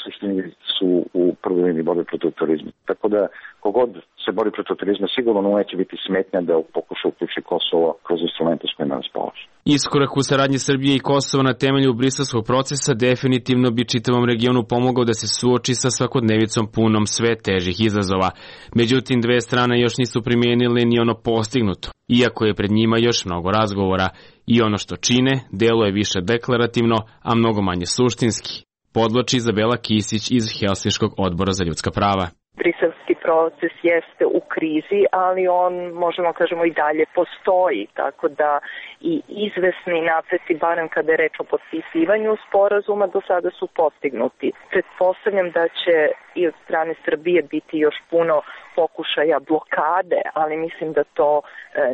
su u prvoj liniji borbe protiv terorizma. Tako da kogod se bori protiv terorizma sigurno neće biti smetnja da pokuša uključi Kosovo kroz instrumente s kojima raspolaže. Iskorak u saradnji Srbije i Kosova na temelju briselskog procesa definitivno bi čitavom regionu pomogao da se suoči sa svakodnevicom punom sve težih izazova. Međutim, dve strane još nisu primijenile ni ono postignuto, iako je pred njima još mnogo razgovora. I ono što čine, delo je više deklarativno, a mnogo manje suštinski, podloči Izabela Kisić iz Helsinškog odbora za ljudska prava. Briselski proces jeste u krizi, ali on, možemo kažemo, i dalje postoji, tako da i izvesni napreci, barem kada je reč o potpisivanju sporazuma, do sada su postignuti. Pretpostavljam da će i od strane Srbije biti još puno pokušaja blokade, ali mislim da to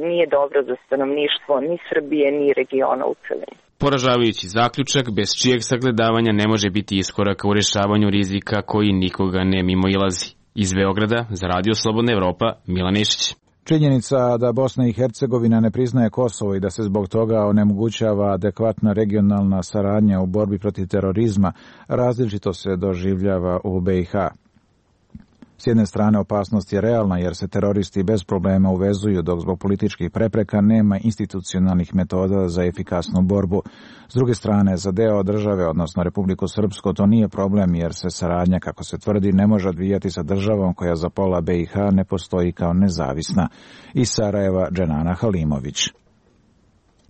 nije dobro za stanovništvo ni Srbije, ni regiona u celini. Poražavajući zaključak, bez čijeg sagledavanja ne može biti iskoraka u rješavanju rizika koji nikoga ne mimoilazi. Iz Beograda, za Radio Slobodna Evropa, Milan Išić. Činjenica da Bosna i Hercegovina ne priznaje Kosovo i da se zbog toga onemogućava adekvatna regionalna saradnja u borbi protiv terorizma različito se doživljava u BiH. S jedne strane opasnost je realna jer se teroristi bez problema uvezuju dok zbog političkih prepreka nema institucionalnih metoda za efikasnu borbu. S druge strane, za deo države, odnosno Republiku Srpsko, to nije problem jer se saradnja, kako se tvrdi, ne može odvijati sa državom koja za pola BiH ne postoji kao nezavisna. Iz Sarajeva, Dženana Halimović.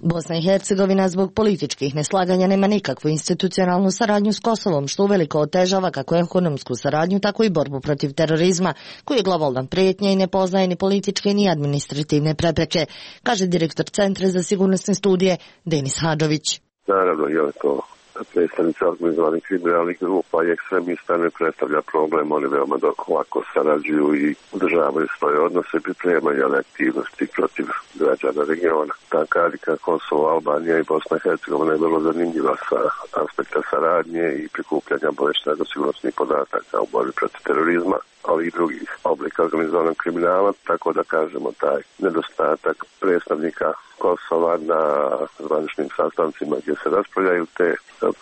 Bosna i Hercegovina zbog političkih neslaganja nema nikakvu institucionalnu saradnju s Kosovom, što uveliko otežava kako ekonomsku saradnju, tako i borbu protiv terorizma, koji je globalna prijetnja i ne poznaje ni političke ni administrativne prepreke, kaže direktor Centra za sigurnosne studije Denis Hadžović. Naravno, je to predstavnici organizovanih kriminalnih grupa i ekstremista ne predstavlja problem, oni veoma lako sarađuju i održavaju svoje odnose, pripremaju aktivnosti protiv građana regiona. Ta karika Kosovo, Albanija i Bosna i Hercegovina je vrlo zanimljiva sa aspekta saradnje i prikupljanja obavještajno-sigurnosnih podataka u borbi protiv terorizma, ali i drugih oblika organizovanog kriminala, tako da kažemo taj nedostatak predstavnika Kosova na zvaničnim sastancima gdje se raspravljaju te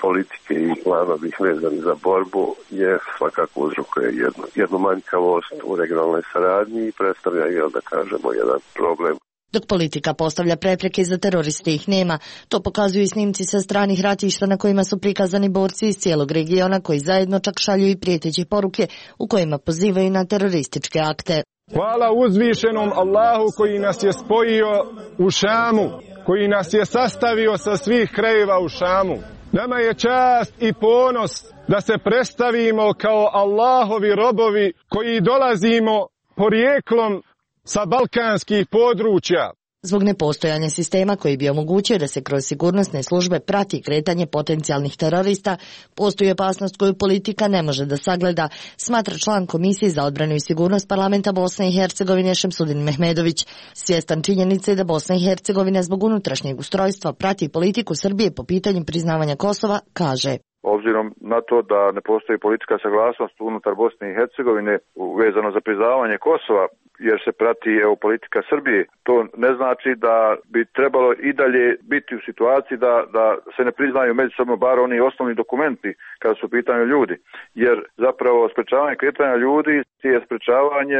politike i planovi vezani za borbu je svakako uzrokuje jednu manjkavost u regionalnoj saradnji i predstavlja, da kažemo, jedan problem. Dok politika postavlja prepreke za teroriste ih nema, to pokazuju i snimci sa stranih ratišta na kojima su prikazani borci iz cijelog regiona koji zajedno čak šalju i prijeteće poruke u kojima pozivaju na terorističke akte. Hvala uzvišenom Allahu koji nas je spojio u Šamu, koji nas je sastavio sa svih krajeva u Šamu. Nama je čast i ponos da se predstavimo kao Allahovi robovi koji dolazimo porijeklom sa balkanskih područja. Zbog nepostojanja sistema koji bi omogućio da se kroz sigurnosne službe prati kretanje potencijalnih terorista, postoji opasnost koju politika ne može da sagleda, smatra član Komisije za odbranu i sigurnost Parlamenta Bosne i Hercegovine Šemsudin Mehmedović. Svjestan činjenice da Bosna i Hercegovina zbog unutrašnjeg ustrojstva prati politiku Srbije po pitanju priznavanja Kosova, kaže: Obzirom na to da ne postoji politika saglasnost unutar Bosne i Hercegovine vezano za priznavanje Kosova, jer se prati politika Srbije, to ne znači da bi trebalo i dalje biti u situaciji da se ne priznaju međusobno bar oni osnovni dokumenti kada su u pitanju ljudi. Jer zapravo sprečavanje kretanja ljudi je sprečavanje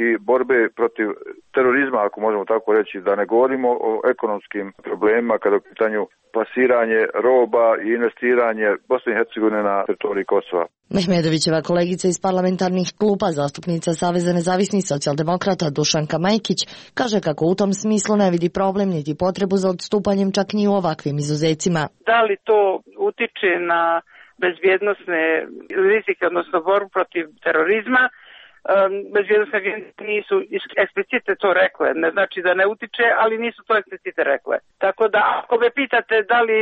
i borbe protiv terorizma, ako možemo tako reći, da ne govorimo o ekonomskim problemima kada je u pitanju plasiranje roba i investiranje Bosne i Hercegovine na teritoriji Kosova. Mehmedovićeva kolegica iz parlamentarnih klupa, zastupnica Saveza nezavisnih socijaldemokrata Dušanka Majkić, kaže kako u tom smislu ne vidi problem niti potrebu za odstupanjem čak ni u ovakvim izuzecima. Da li to utiče na bezbjednosne rizike, odnosno borbu protiv terorizma? Bezbjednosne agencije nisu eksplicite to rekle, ne znači da ne utiče, ali nisu to eksplicite rekle. Tako da ako me pitate da li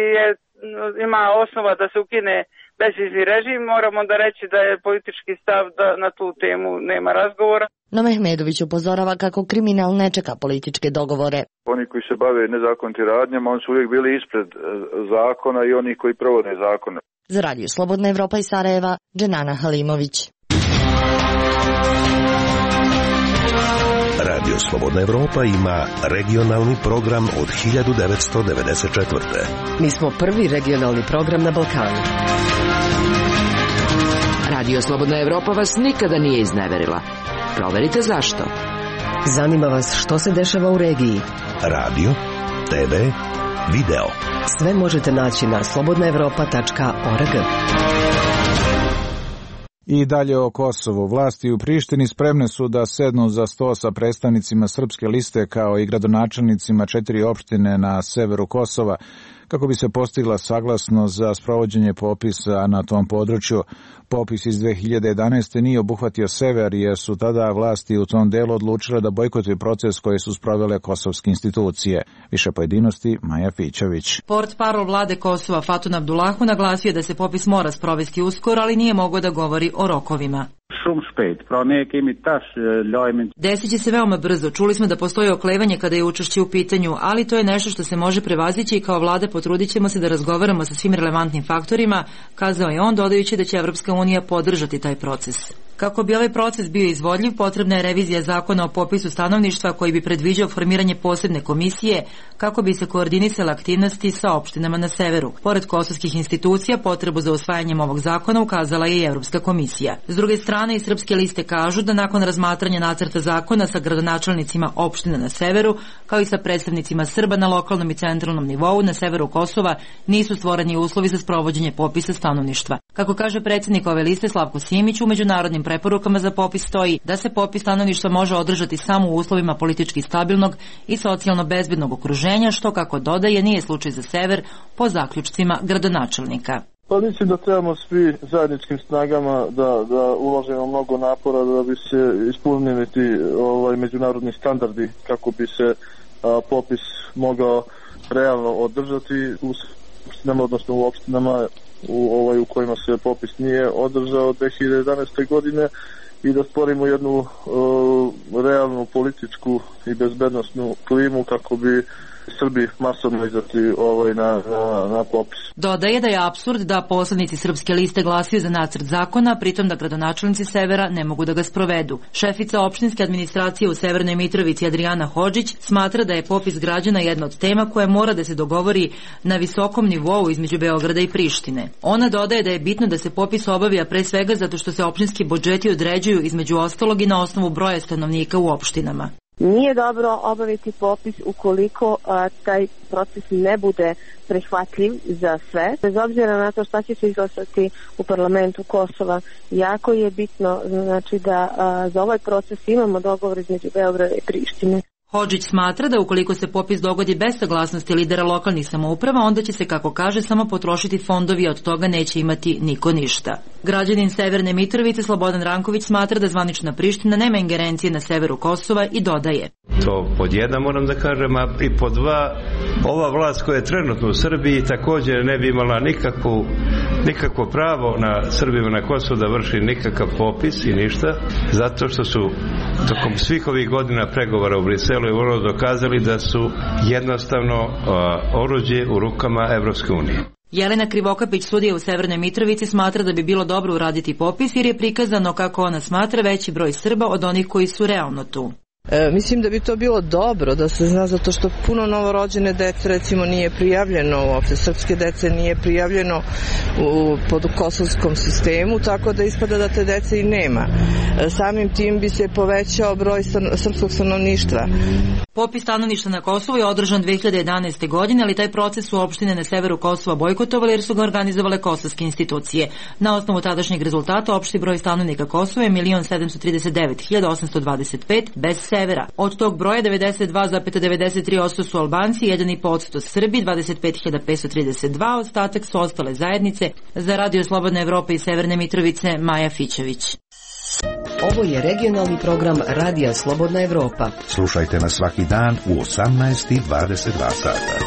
ima osnova da se ukine bezvizni režim, moram onda reći da je politički stav da na tu temu nema razgovora. No Mehmedović upozorava kako kriminal ne čeka političke dogovore. Oni koji se bave nezakonitim radnjama, oni su uvijek bili ispred zakona i oni koji provode zakone. Za Radio Slobodna Evropa iz Sarajeva, Dženana Halimović. Radio Slobodna Evropa ima regionalni program od 1994. Mi smo prvi regionalni program na Balkanu. Radio Slobodna Evropa vas nikada nije izneverila. Proverite zašto. Zanima vas što se dešava u regiji. Radio, TV, video. Sve možete naći na slobodnaevropa.org. I dalje o Kosovu. Vlasti u Prištini spremne su da sednu za sto sa predstavnicima srpske liste kao i gradonačelnicima 4 opštine na severu Kosova kako bi se postigla saglasnost za sprovođenje popisa na tom području. Popis iz 2011. nije obuhvatio sever jer su tada vlasti u tom delu odlučile da bojkotuju proces koji su sprovele kosovske institucije. Više pojedinosti Maja Fićević. Portparol vlade Kosova Fatun Abdullahu naglasio da se popis mora sprovesti uskoro, ali nije mogao da govori o rokovima. Desit će se veoma brzo. Čuli smo da postoji oklevanje kada je učešće u pitanju, ali to je nešto što se može prevazići i kao vlada potrudit ćemo se da razgovaramo sa svim relevantnim faktorima, kazao je on, dodajući da će Evropska unija podržati taj proces. Kako bi ovaj proces bio izvodljiv, potrebna je revizija zakona o popisu stanovništva koji bi predviđao formiranje posebne komisije kako bi se koordinisale aktivnosti sa opštinama na severu. Pored kosovskih institucija, potrebu za usvajanjem ovog zakona ukazala je i Evropska komisija. S druge strane, i srpske liste kažu da nakon razmatranja nacrta zakona sa gradonačelnicima opština na severu, kao i sa predstavnicima Srba na lokalnom i centralnom nivou na severu Kosova, nisu stvoreni uslovi za sprovođenje popisa stanovništva. Kako kaže predsjednik ove liste Slavko Simić, u međunarodnim preporukama za popis stoji da se popis stanovništva može održati samo u uslovima politički stabilnog i socijalno bezbednog okruženja, što, kako dodaje, nije slučaj za sever po zaključcima gradonačelnika. Pa mislim da trebamo svi zajedničkim snagama da uložimo mnogo napora da bi se ispunili ti međunarodni standardi kako bi se popis mogao realno održati u opštinama, odnosno u opštinama u kojima se popis nije održao 2011. godine i da stvorimo jednu realnu političku i bezbednosnu klimu kako bi Srbi masovno izašli na popis. Dodaje da je apsurd da poslanici Srpske liste glasaju za nacrt zakona, pritom da gradonačelnici Severa ne mogu da ga sprovedu. Šefica opštinske administracije u Severnoj Mitrovici Adriana Hodžić smatra da je popis građana jedna od tema koja mora da se dogovori na visokom nivou između Beograda i Prištine. Ona dodaje da je bitno da se popis obavija pre svega zato što se opštinski budžeti određuju između ostalog i na osnovu broja stanovnika u opštinama. Nije dobro obaviti popis ukoliko taj proces ne bude prihvatljiv za sve. Bez obzira na to šta će se izglasati u parlamentu Kosova, jako je bitno znači da za ovaj proces imamo dogovor između Beograda i Prištine. Hodžić smatra da ukoliko se popis dogodi bez saglasnosti lidera lokalnih samouprava, onda će se, kako kaže, samo potrošiti fondovi, a od toga neće imati niko ništa. Građanin Severne Mitrovice Slobodan Ranković smatra da zvanična Priština nema ingerencije na severu Kosova i dodaje. To pod jedan moram da kažem, a i pod dva, ova vlast koja je trenutno u Srbiji također ne bi imala nikakvo pravo na Srbima na Kosovu da vrši nikakav popis i ništa, zato što su tokom svih ovih godina pregovora u Briselu i vrlo dokazali da su jednostavno oruđe u rukama Evropske unije. Jelena Krivokapić, sudija u Severnoj Mitrovici, smatra da bi bilo dobro uraditi popis jer je prikazano, kako ona smatra, veći broj Srba od onih koji su realno tu. Mislim da bi to bilo dobro da se zna, zato što puno novorođene dece recimo nije prijavljeno, uopšte srpske dece nije prijavljeno pod kosovskom sistemu, tako da ispada da te dece i nema. Samim tim bi se povećao broj srpskog stanovništva. Popis stanovništva na Kosovu je održan 2011. godine, ali taj proces su opštine na severu Kosova bojkotovali jer su ga organizovale kosovske institucije. Na osnovu tadašnjeg rezultata opšti broj stanovnika Kosova je 1.739.825 bez severa. Od tog broja 92,93% su Albanci, 1,5% Srbi, 25.532, ostatak su ostale zajednice. Za Radio Slobodna Evropa iz Severne Mitrovice, Maja Fićević. Ovo je regionalni program Radija Slobodna Evropa. Slušajte nas svaki dan u 18:22 sata.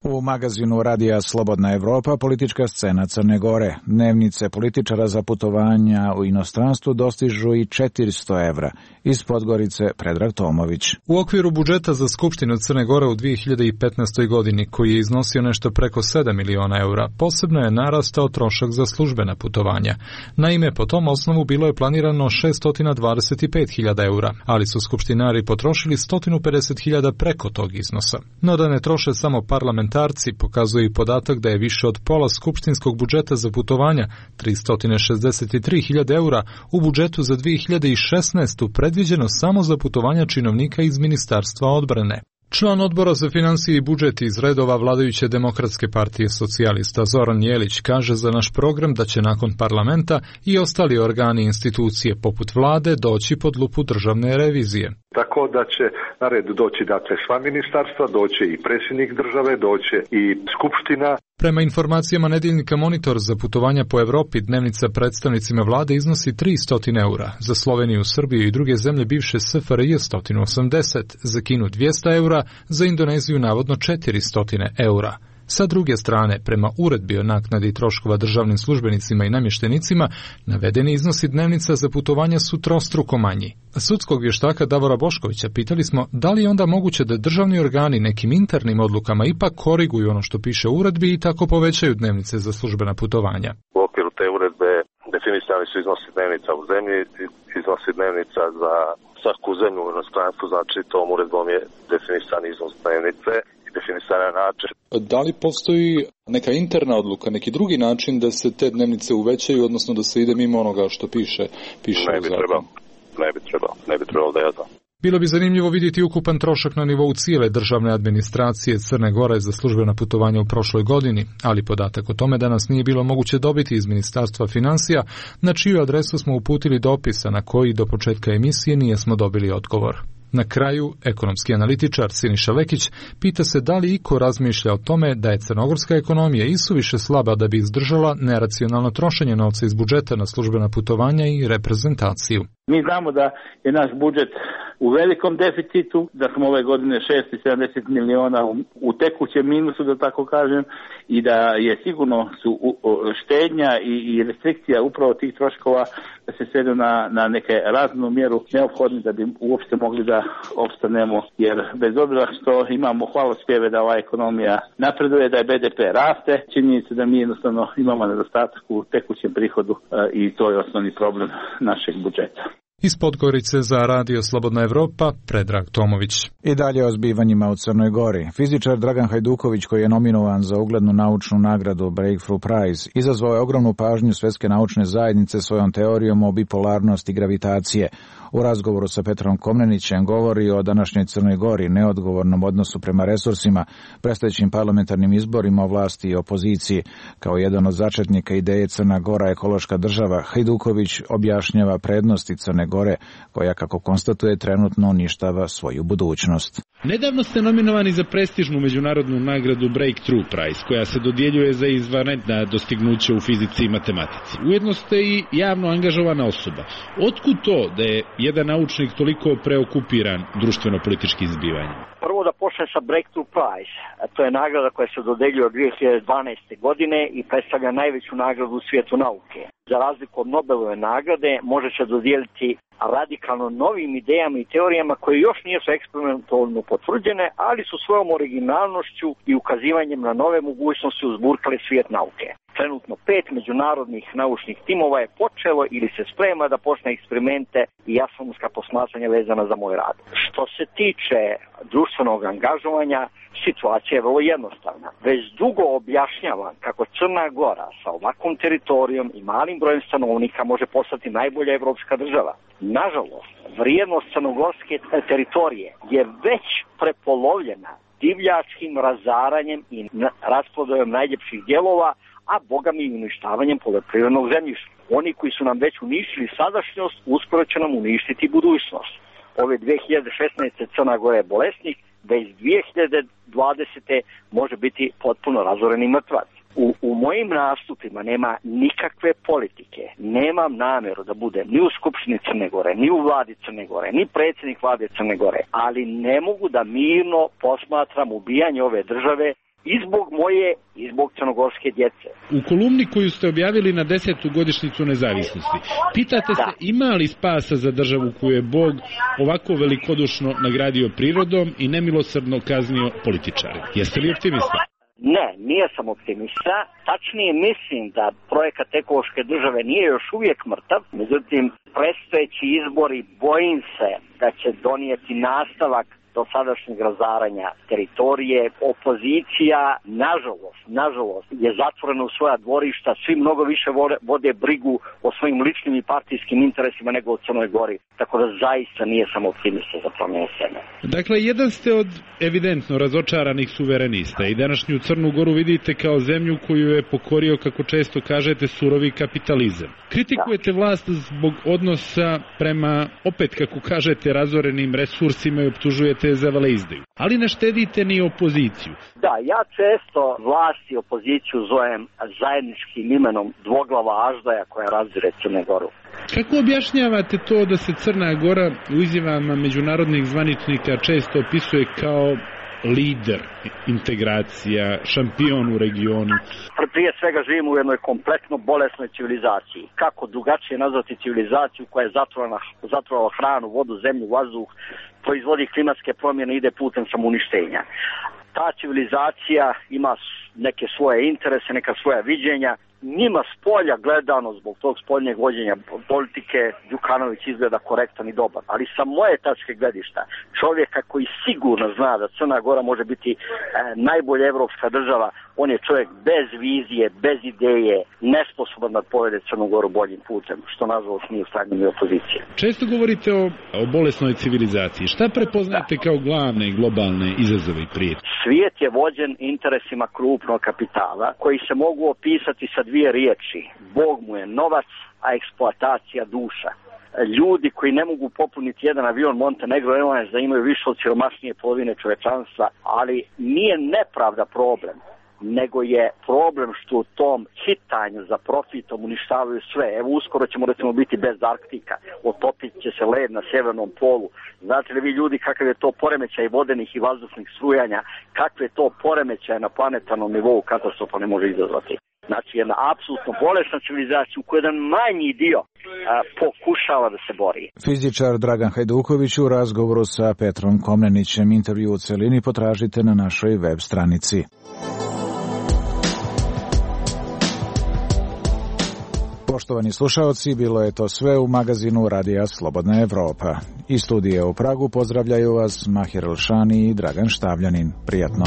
U magazinu Radija Slobodna Evropa politička scena Crne Gore. Dnevnice političara za putovanja u inostranstvu dostižu i 400 evra. Iz Podgorice Predrag Tomović. U okviru budžeta za Skupštinu Crne Gore u 2015. godini, koji je iznosio nešto preko 7 miliona eura, posebno je narastao trošak za službena putovanja. Naime, po tom osnovu bilo je planirano 625.000 eura, ali su skupštinari potrošili 150.000 preko tog iznosa. No da ne troše samo parlamentarci, pokazuje i podatak da je više od pola skupštinskog budžeta za putovanja, 363.000 eura, u budžetu za 2016. predviđeno samo za putovanja činovnika iz Ministarstva odbrane. Član odbora za finansije i budžet iz redova vladajuće Demokratske partije socijalista Zoran Jelić kaže za naš program da će nakon parlamenta i ostali organi i institucije poput vlade doći pod lupu državne revizije. Tako da će na red doći sva ministarstva, doće i predsjednik države, doće i skupština. Prema informacijama nedeljnika Monitor, za putovanja po Evropi dnevnica predstavnicima vlade iznosi 300 eura, za Sloveniju, Srbiju i druge zemlje bivše SFRJ 180, za Kinu 200 eura, za Indoneziju navodno 400 eura. Sa druge strane, prema uredbi o naknadi troškova državnim službenicima i namještenicima, navedeni iznosi dnevnica za putovanja su trostruko manji. Sudskog vještaka Davora Boškovića pitali smo da li je onda moguće da državni organi nekim internim odlukama ipak koriguju ono što piše u uredbi i tako povećaju dnevnice za službena putovanja. U okviru te uredbe definisani su iznosi dnevnica u zemlji, iznosi dnevnica za svaku zemlju u inostranstvu, znači tom uredbom je definisan iznos dnevnice. Način. Da li postoji neka interna odluka, neki drugi način da se te dnevnice uvećaju, odnosno da se ide mimo onoga što piše ne bi trebalo da ja znam. Bilo bi zanimljivo vidjeti ukupan trošak na nivou cijele državne administracije Crne Gore za službena putovanja u prošloj godini, ali podatak o tome danas nije bilo moguće dobiti iz Ministarstva financija, na čiju adresu smo uputili dopisa na koji do početka emisije nijesmo dobili odgovor. Na kraju, ekonomski analitičar Siniša Lekić pita se da li iko razmišlja o tome da je crnogorska ekonomija isuviše slaba da bi izdržala neracionalno trošenje novca iz budžeta na službena putovanja i reprezentaciju. Mi znamo da je naš budžet u velikom deficitu, da smo ove godine 670 miliona u tekućem minusu, da tako kažem, i da je sigurno su štednja i restrikcija upravo tih troškova da se svedu na neke raznu mjeru neophodne da bi uopšte mogli da opstanemo, jer bez obzira što imamo hvalospjeve da ova ekonomija napreduje, da je BDP raste, činjenica da mi jednostavno imamo nedostatak u tekućem prihodu i to je osnovni problem našeg budžeta. Iz Podgorice za Radio Slobodna Evropa, Predrag Tomović. I dalje o zbivanjima u Crnoj Gori. Fizičar Dragan Hajduković, koji je nominovan za uglednu naučnu nagradu Breakthrough Prize, izazvao je ogromnu pažnju svetske naučne zajednice svojom teorijom o bipolarnosti gravitacije. U razgovoru sa Petrom Komnenićem govori o današnjoj Crnoj Gori, neodgovornom odnosu prema resursima, predstojećim parlamentarnim izborima o vlasti i opoziciji. Kao jedan od začetnika ideje Crna Gora ekološka država, Hajduković objašnjava prednosti Crne Gore, koja, kako konstatuje, trenutno uništava svoju budućnost. Nedavno ste nominovani za prestižnu međunarodnu nagradu Breakthrough Prize, koja se dodjeljuje za izvanredna dostignuća u fizici i matematici. Ujedno ste i javno angažovana osoba. Otkud to da je jedan naučnik toliko preokupiran društveno-političkim zbivanjem? Prvo da počnem sa Breakthrough Prize. To je nagrada koja se dodeljuje od 2012. godine i predstavlja najveću nagradu u svijetu nauke. Za razliku od Nobelove nagrade može se dodijeliti radikalno novim idejama i teorijama koje još nisu eksperimentalno potvrđene, ali su svojom originalnošću i ukazivanjem na nove mogućnosti uzburkali svijet nauke. Trenutno 5 međunarodnih naučnih timova je počelo ili se sprema da počne eksperimente i astronomska posmatranja vezana za moj rad. Što se tiče društvenog angažovanja, situacija je vrlo jednostavna. Već dugo objašnjavam kako Crna Gora sa ovakvom teritorijom i malim brojem stanovnika može postati najbolja evropska država. Nažalost, vrijednost crnogorske teritorije je već prepolovljena divljačkim razaranjem i rasprodajom najljepših dijelova, a bogami i uništavanjem poljoprivrednog zemljišta. Oni koji su nam već uništili sadašnjost, uskoro će nam uništiti budućnost. Ove 2016. Crna Gora je bolesnik, da iz 2020. može biti potpuno razoreni mrtvac. U mojim nastupima nema nikakve politike. Nemam namjeru da bude ni u Skupštini Crne Gore, ni u vladi Crne Gore, ni predsjednik vlade Crne Gore, ali ne mogu da mirno posmatram ubijanje ove države i zbog moje i zbog crnogorske djece. U kolumni koju ste objavili na 10. godišnjicu nezavisnosti, pitate se ima li spasa za državu koju je Bog ovako velikodušno nagradio prirodom i nemilosrdno kaznio političare. Jeste li optimista? Ne, nije sam optimista. Tačnije mislim da projekat ekološke države nije još uvijek mrtav. Međutim, predstojeći izbori bojim se da će donijeti nastavak dosadašnjeg razaranja teritorije. Opozicija, nažalost, je zatvorena u svoja dvorišta, svi mnogo više vode brigu o svojim ličnim i partijskim interesima nego o Crnoj Gori. Tako da zaista nije sam optimista za promjenu scene. Dakle, jedan ste od evidentno razočaranih suverenista i današnju Crnu Goru vidite kao zemlju koju je pokorio, kako često kažete, surovi kapitalizam. Kritikujete vlast zbog odnosa prema, opet kako kažete, razorenim resursima i optužujete za veleizdaju. Ali ne štedite ni opoziciju. Da, ja često vlast i opoziciju zovem zajedničkim imenom dvoglava aždaja koja razire Crne Goru. Kako objašnjavate to da se Crna Gora u izjavama međunarodnih zvaničnika često opisuje kao lider integracija, šampion u regionu? Prije svega živimo u jednoj kompletno bolesnoj civilizaciji. Kako drugačije nazvati civilizaciju koja je zatrovала hranu, vodu, zemlju, vazduh, proizvodi klimatske promjene, ide putem samouništenja. Ta civilizacija ima neke svoje interese, neka svoja viđenja. Njima s polja gledano, zbog tog spoljnjeg vođenja politike, Đukanović izgleda korektan i dobar. Ali sa moje tačke gledišta, čovjeka koji sigurno zna da Crna Gora može biti najbolja evropska država, on je čovjek bez vizije, bez ideje, nesposoban da povede Crnu Goru boljim putem, što nažalost nije u stanju ni opozicije. Često govorite o bolesnoj civilizaciji. Šta prepoznate kao glavne i globalne izazove i prijetnje? Svijet je vođen interesima krupnog kapitala, koji se mogu opisati sa dvije riječi. Bog mu je novac, a eksploatacija duša. ljudi koji ne mogu popuniti jedan avion Montenegro Airlines da imaju više od siromašnije polovine čovečanstva, ali nije nepravda problem, nego je problem što u tom hitanju za profitom uništavaju sve. Evo uskoro ćemo recimo biti bez Arktika, otopit će se led na severnom polu. Znate li vi ljudi kakav je to poremećaj vodenih i vazdušnih strujanja, kakve je to poremećaj na planetarnom nivou katastrofalne može izazvati. Znači jedna apsolutno bolesna civilizacija u kojoj jedan manji dio pokušava da se bori. Fizičar Dragan Hajduković u razgovoru sa Petrom Komnenićem. Intervju u celini potražite na našoj web stranici. Poštovani slušaoci, bilo je to sve u magazinu Radija Slobodna Evropa. Iz studija u Pragu pozdravljaju vas Mahir Elšani i Dragan Štavljanin. Prijatno.